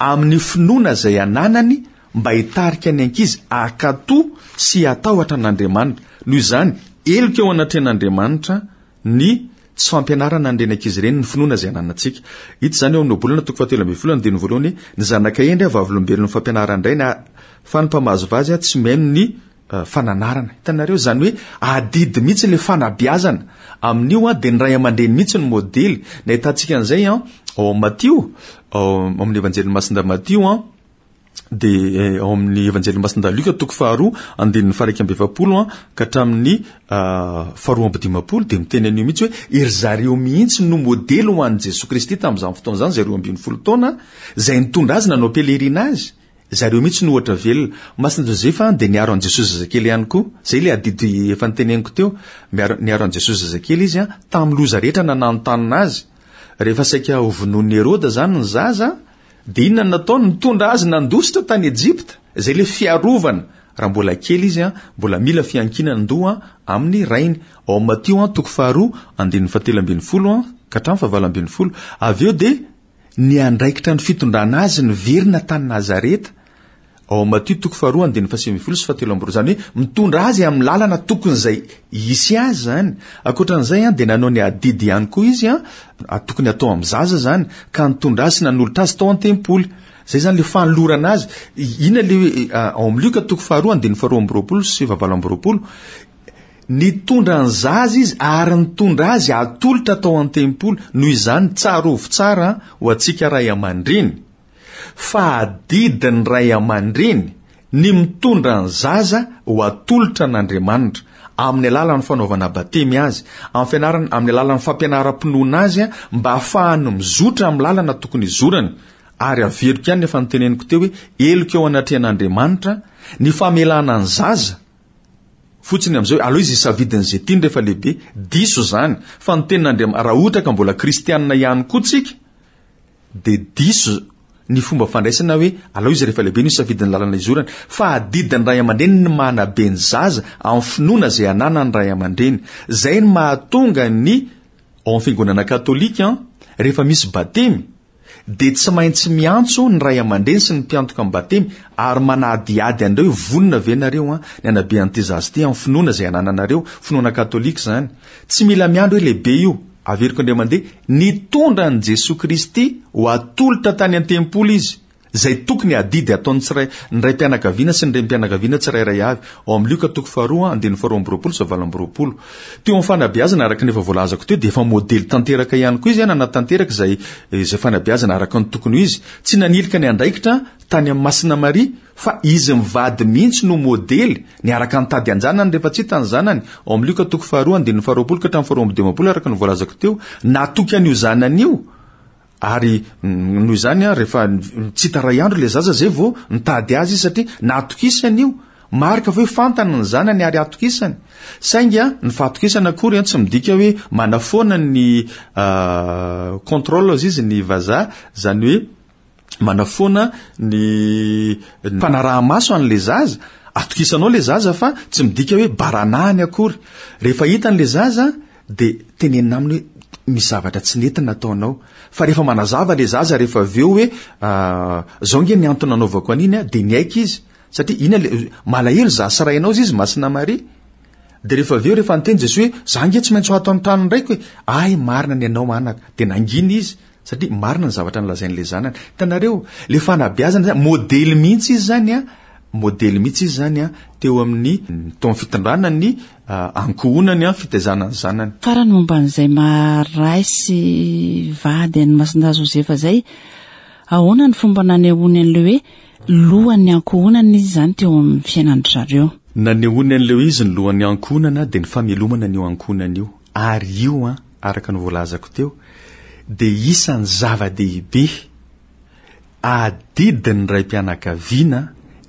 amin'ny finoana izay ananany mba hitarika ny ankizy hankatò sy hatahotra an'Andriamanitra. Noho izany, heloka eo anatrehan'Andriamanitra ny tsy fampianarana an'ireny ankizy ireny ny finoana izay ananantsika. Hita izany eo amin'ny Ohabolana toko fahatelo ambin'ny folo andininy voalohany, Ny zanaka hendry vavolombelon'ny fampianaran-drainy, fa ny mpamazivazy tsy mihaino ny fananarana. Hitanareo, izany hoe adidy mihitsy ilay fanabeazana. Amin'io an, dia ny ray aman-dreny mihitsy no modely. Ny ahitantsika an'izay an, ao amin'ny Matio, ao amin'ny Evanjelin'i Masindahy Matio an, dia eh, ao amin'ny Evanjelin'i Masindahy Lioka toko faharoa, andininy faha-iraika amby efapolo an, ka hatramin'ny ah, faharoa amby dimampolo, dia miteny an'io mihitsy hoe ery zareo mihitsy no modely ho an'i Jesoa Kristy tamin'izany fotoana izany, izay 12 taona, izay nitondra azy nanao pèlerinage. Zareo mihitsy no ohatra velona. Masina Josefa dia niaro an'i Jesoa zazakely ihany koa. Izay ilay adidy efa noteneniko teo. Miaro, niaro an'i Jesoa zazakely izy tamin'ny loza rehetra nananontanona azy. Rehefa saika hovonoin'i Heroda izany ny zaza, dia inona no nataony? Nitondra azy nandositra tany Ejipta. Izay ilay fiarovana. Raha mbola kely izy, mbola mila fiankinan-doha amin'ny rainy. Ao amin'ny Matio toko faharoa, andininy fahatelo ambin'ny folo ka hatramin'ny fahavalo ambin'ny folo. Avy eo dia Niandraikitra ny fitondrana azy niverina tany Nazareta, ao amin'ny Matio toko faharoa andininy fahasivy ambin'ny folo sy fahatelo amby roa. Izany hoe mitondra azy amin'ny lalana tokony izay hisy azy izany. Ankoatra an'izay dia nanao ny adidy ihany koa izy, tokony hatao amin'ny zaza izany, ka nitondra azy sy nanolotra azy tao an-tempoly. Izay izany ilay fanolorana azy. Inona ilay hoe ao amin'ny Lioka toko faharoa andininy faharoa amby roapolo sy fahavalo amby roapolo. Nitondra ny zaza izy ary nitondra azy hatolotra tao an-tempoly. Noho izany, tsarovy tsara ho antsika ray aman-dreny, fa adidin'ny ray aman-dreny ny mitondra ny zaza ho atolotra an'Andriamanitra, amin'ny alalan'ny fanaovana batemy azy, amin'ny fianarana, amin'ny alalan'ny fampianaram-pinoana azy, mba hahafahany mizotra amin'ny lalana tokony hizorany. Ary averiko ihany ny efa noteneniko teo hoe, heloka eo anatrehan'Andriamanitra ny famelana ny zaza, Fotsiny amin'izao hoe aleo izy hisafidy an'izay tiany rehefa lehibe. Diso izany. Fa ny tenin'Andriamanitra, raha ohatra ka mbola kristianina ihany koa tsika, dia diso ny fomba fandraisana hoe aleo izy rehefa lehibe no hisafidy ny lalana izorany. Fa adidin'ny ray aman-dreny ny manabe ny zaza amin'ny finoana izay ananan'ny ray aman-dreny. Izay no mahatonga ny ao amin'ny fiangonana katolika, rehefa misy batemy, dia tsy maintsy miantso ny ray aman-dreny sy ny mpiantoka amin'ny batemy ary manadihady an'ireo hoe vonona ve nareo an, ny hanabe an'ity zaza ity amin'ny finoana izay anananareo, finoana katolika izany. Tsy mila miandry hoe lehibe io. Averiko indray mandeha, nitondra an'i Jesoa Kristy ho atolotra tany an-tempoly izy. Izay tokony adidy ataon'ny tsiray, ny raim-pianakaviana sy ny renim-pianakaviana tsirairay avy. Ao amin'ny Lioka toko faharoa, andininy faharoa amby roapolo sy valo amby roapolo. Teo amin'ny fanabeazana, araka ny efa voalazako teo, dia efa modely tanteraka ihany koa izy, nanatanteraka izay, izay fanabeazana araka ny tokony ho izy. Tsy nanilika ny andraikitra tany amin'i Masina Maria, fa izy mivady mihitsy no modely, niaraka nitady an-janany rehefa tsy hita ny zanany. Ao amin'ny Lioka toko faharoa, andininy faharoapolo ka hatramin'ny faharoa amby dimampolo, araka ny voalazako teo. Natoky an'io zanany io. Ary noho izany an, rehefa tsy hita ray andro ilay zaza zay vao nitady azy izy satria natokisany io. Marika fa hoe fantany ny zanany ary atokisany. Saingy an, ny fahatokisana akory an tsy midika hoe manafoana ny contrôle hozy izy ny vazaha, izany hoe manafoana ny fanaraha-maso an'ilay zaza. Atokisanao ilay zaza fa tsy midika hoe baranahiny akory. Rehefa hitany ilay zaza dia tenenina aminy hoe misy zavatra tsy nety nataonao. Fa rehefa manazava ilay zaza rehefa avy eo hoe zao nge ny antony nanaovako an'iny a, dia niaiky izy. Satria ina le, malahelo za sy rainao izy izy Masina Maria. Dia rehefa avy eo rehefa niteny Jesoa hoe za nge tsy maintsy ho ato amin'ny tranon'ny raiko e, ay marina ny anao anaka. Dia nangina izy satria marina ny zavatra nolazain'ilay zanany. Hitanareo, ilay fanabeazana zany, modely mihitsy izy zany a. modely mihitsy izy izany teo amin'ny teo amin'ny fitondrana ny ankohonany, fitaizana ny zanany. Farany momba an'izay maha ray sy vady an'i Masindahy Josefa izay, ahoana ny fomba nanehoany an'ilay hoe lohan'ny ankohonana izy izany teo amin'ny fiainan-dry zareo? Nanehoany an'ilay hoe izy ny lohan'ny ankohonana dia ny famelomana an'io ankohonana io. Ary io an, araka ny voalazako teo, dia isan'ny zava-dehibe adidin'ny raim-pianakaviana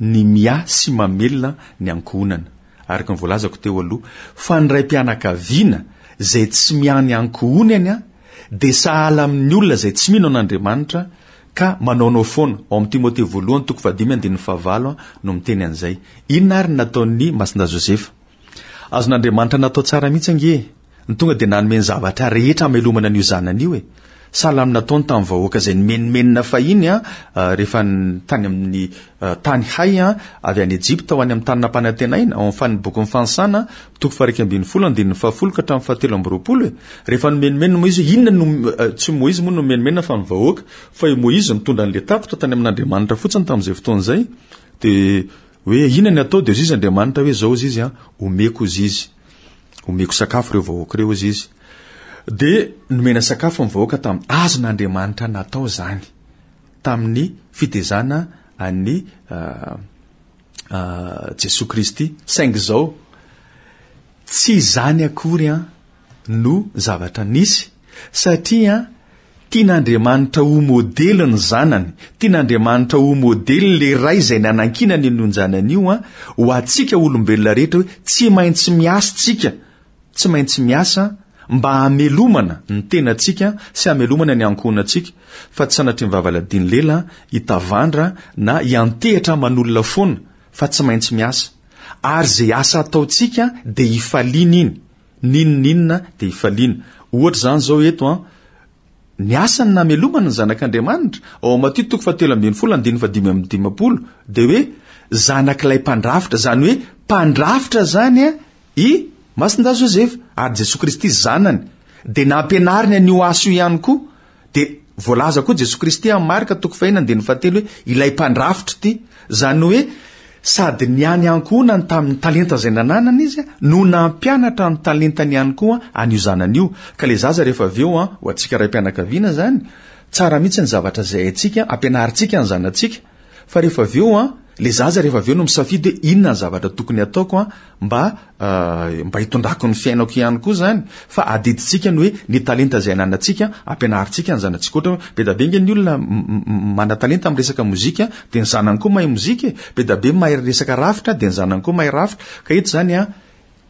ny miahy sy mamelona ny ankohonana. Araka ny voalazako teo aloha, fa ny raim-pianakaviana izay tsy miahy ny ankohonany dia sahala amin'ny olona izay tsy mino an'Andriamanitra ka manaonao foana. Ao amin'ny Timothée voalohany toko fahadimy andininy fahavalo no miteny an'izay. Inona ary ny nataon'i Masindahy Josefa? Azon'Andriamanitra natao tsara mihitsy ange e! Ny tonga dia nanome ny zavatra rehetra hamelomana an'io zanany io e! Sahala amin'ny nataony tamin'ny vahoaka izay nimenomenona fahiny rehefa tany amin'ny tany hay avy any Egypta ho any amin'ny tany nampanantenaina, ao amin'ny bokin'ny Fanisana, toko faha-11 andininy fahafolo ka hatramin'ny fahatelo amby roapolo e! Rehefa nimenomenona moa izy hoe inona no, tsy Moizy moa no nimenomenona fa ny vahoaka, fa i Moizy nitondra an'ilay tatitra tany amin'Andriamanitra fotsiny tamin'izay fotoana izay, dia Hoe inona ny atao dia hozy izy Andriamanitra hoe zao hozy izy an, omeko hozy izy, omeko sakafo ireo vahoaka ireo hozy izy. Dia nomena sakafo ny vahoaka tamin'ny azon'Andriamanitra natao izany tamin'ny fitezana an'i Jesoa Kristy. Saingy izao, tsy izany akory an no zavatra nisy satria tian'Andriamanitra ho modely ny zanany, tian'Andriamanitra ho modely le ray izay nanankinany an'io zanany io ho antsika olombelona rehetra hoe tsy maintsy miasa tsika, tsy maintsy miasa mba hamelomana ny tenantsika sy hamelomana ny ankohonantsika fa tsy sanatria ny vavaladiny lela hitavandra na hiantehitra aman'olona foana fa tsy maintsy miasa ary izay asa ataontsika dia hifaliana iny N'inon'inona dia ifaliana. Ohatra izany izao eto an, ny asany namelomana ny Zanak'Andriamanitra, ao amin'ny Matio toko fahatelo ambin'ny folo andininy fahadimy amby dimampolo, dia hoe zanak'ilay mpandrafitra, izany hoe mpandrafitra izany an, i Masindahy Josefa, ary Jesoa Kristy zanany, dia nampianariny an'io asa io ihany koa. Dia voalaza koa Jesoa Kristy amin'ny Marka toko fahenina andininy fahatelo hoe ilay mpandrafitra ity. Izany hoe sady niany ankohonany tamin'ny talenta izay nananany izy no nampianatra ny talentany ihany koa an'io zanany io. Ka ilay zaza rehefa avy eo, ho antsika raim-pianakaviana izany, tsara mihitsy ny zavatra izay haintsika, ampianarintsika ny zanatsika. Fa rehefa avy eo an, le zaza rehefa avy eo no misafidy hoe inona ny zavatra tokony ataoko an, mba mba hitondrako ny fiainako ihany koa zany. Fa adidintsika ny hoe ny talenta izay ananantsika, ampianarintsika ny zanatsika. Ohatra hoe be dia be ange ny olona manan-talenta amin'ny resaka mozika, dia ny zanany koa mahay mozika e. Be dia be mahay resaka rafitra, dia ny zanany koa mahay rafitra. Ka eto izany an,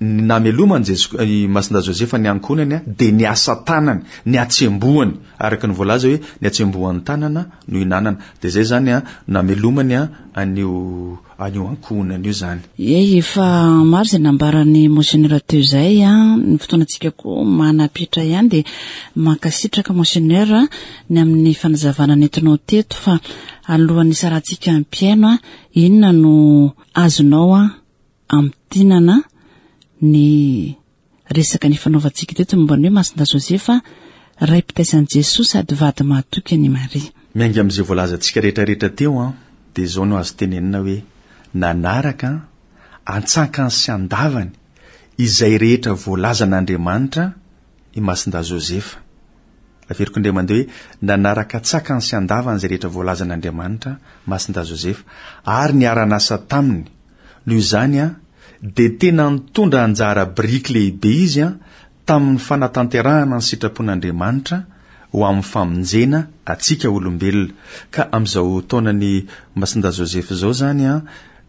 Ny nameloman'i Jesoa, i Masindahy Josefa ny ankohonany dia ny asa tanany, ny hatsembohany, araka ny voalaza hoe ny hatsembohan'ny tanana no ihinanana. Dia izay izany namelomany an'io an'io ankohonany io izany. Ie, efa maro izay nambaran'i Monseigneur teo izay, ny fotoanantsika koa manapitra ihany dia mankasitraka Monseigneur ny amin'ny fanazavana nentinao teto fa alohan'ny hisarahantsika ny mpihaino, inona no azonao Amintinana ny resaka nifanaovantsika teto momba ny hoe Masindahy Josefa, ray mpitaiza an'i Jesoa sady vady mahatoky an'i Maria. Miainga amin'izay voalazantsika rehetrarehetra teo an, dia izao no azo tenenina hoe nanaraka an-tsankany sy an-davany izay rehetra voalazan'Andriamanitra i Masindahy Josefa. Averiko indray mandeha hoe nanaraka an-tsakany sy an-davany izay rehetra voalazan'Andriamanitra Masindahy Josefa ary niara-nasa taminy. Noho izany, dia tena nitondra anjara biriky lehibe izy tamin'ny fanatanterahana ny sitrapon'Andriamanitra ho amin'ny famonjena antsika olombelona. Ka amin'izao taonan'i Masindahy Josefa izao izany,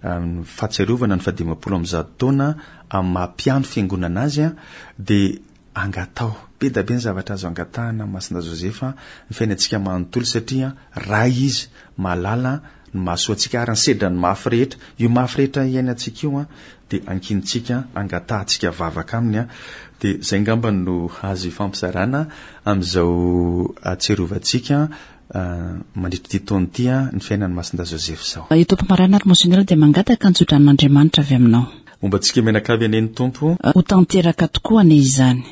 amin'ny fahatsiarovana ny fahadimampolo amby zato taona amin'ny maha mpiandry fiangonana azy, dia Angataho. Be da be ny zavatra azo angatahana amin'i Masindahy Josefa ny fiainantsika manontolo satria Ray Izy, mahalala ny mahasoa antsika ary ny sedran'ny mafy rehetra. Io mafy rehetra iainantsika io dia ankinintsika, angatahantsika vavaka Aminy. Dia izay angamba no azo ifampizarana amin'izao ahatsiarovantsika mandritra ity taona ity ny fiainan'i Masindahy Josefa izao. Eto am-pamaranana ary Monseigneur dia mangataka ny tsodranon'Andriamanitra avy aminao. Homba antsika mianakavy anie ny Tompo. Ho tanteraka tokoa anie izany.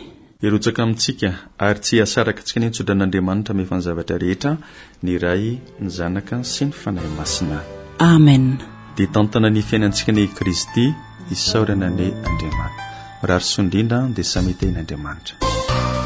Hirotsaka amintsika ary tsy hihasaraka antsika anie ny tsodran'Andriamanitra mahefa ny zavatra rehetra, ny Ray, ny Zanaka sy ny Fanahy Masina. Amen. Dia tantana ny fiainantsika anie i Kristy, isaorana anie Andriamanitra. Mirary soa indrindra dia samy hitahian'Andriamanitra.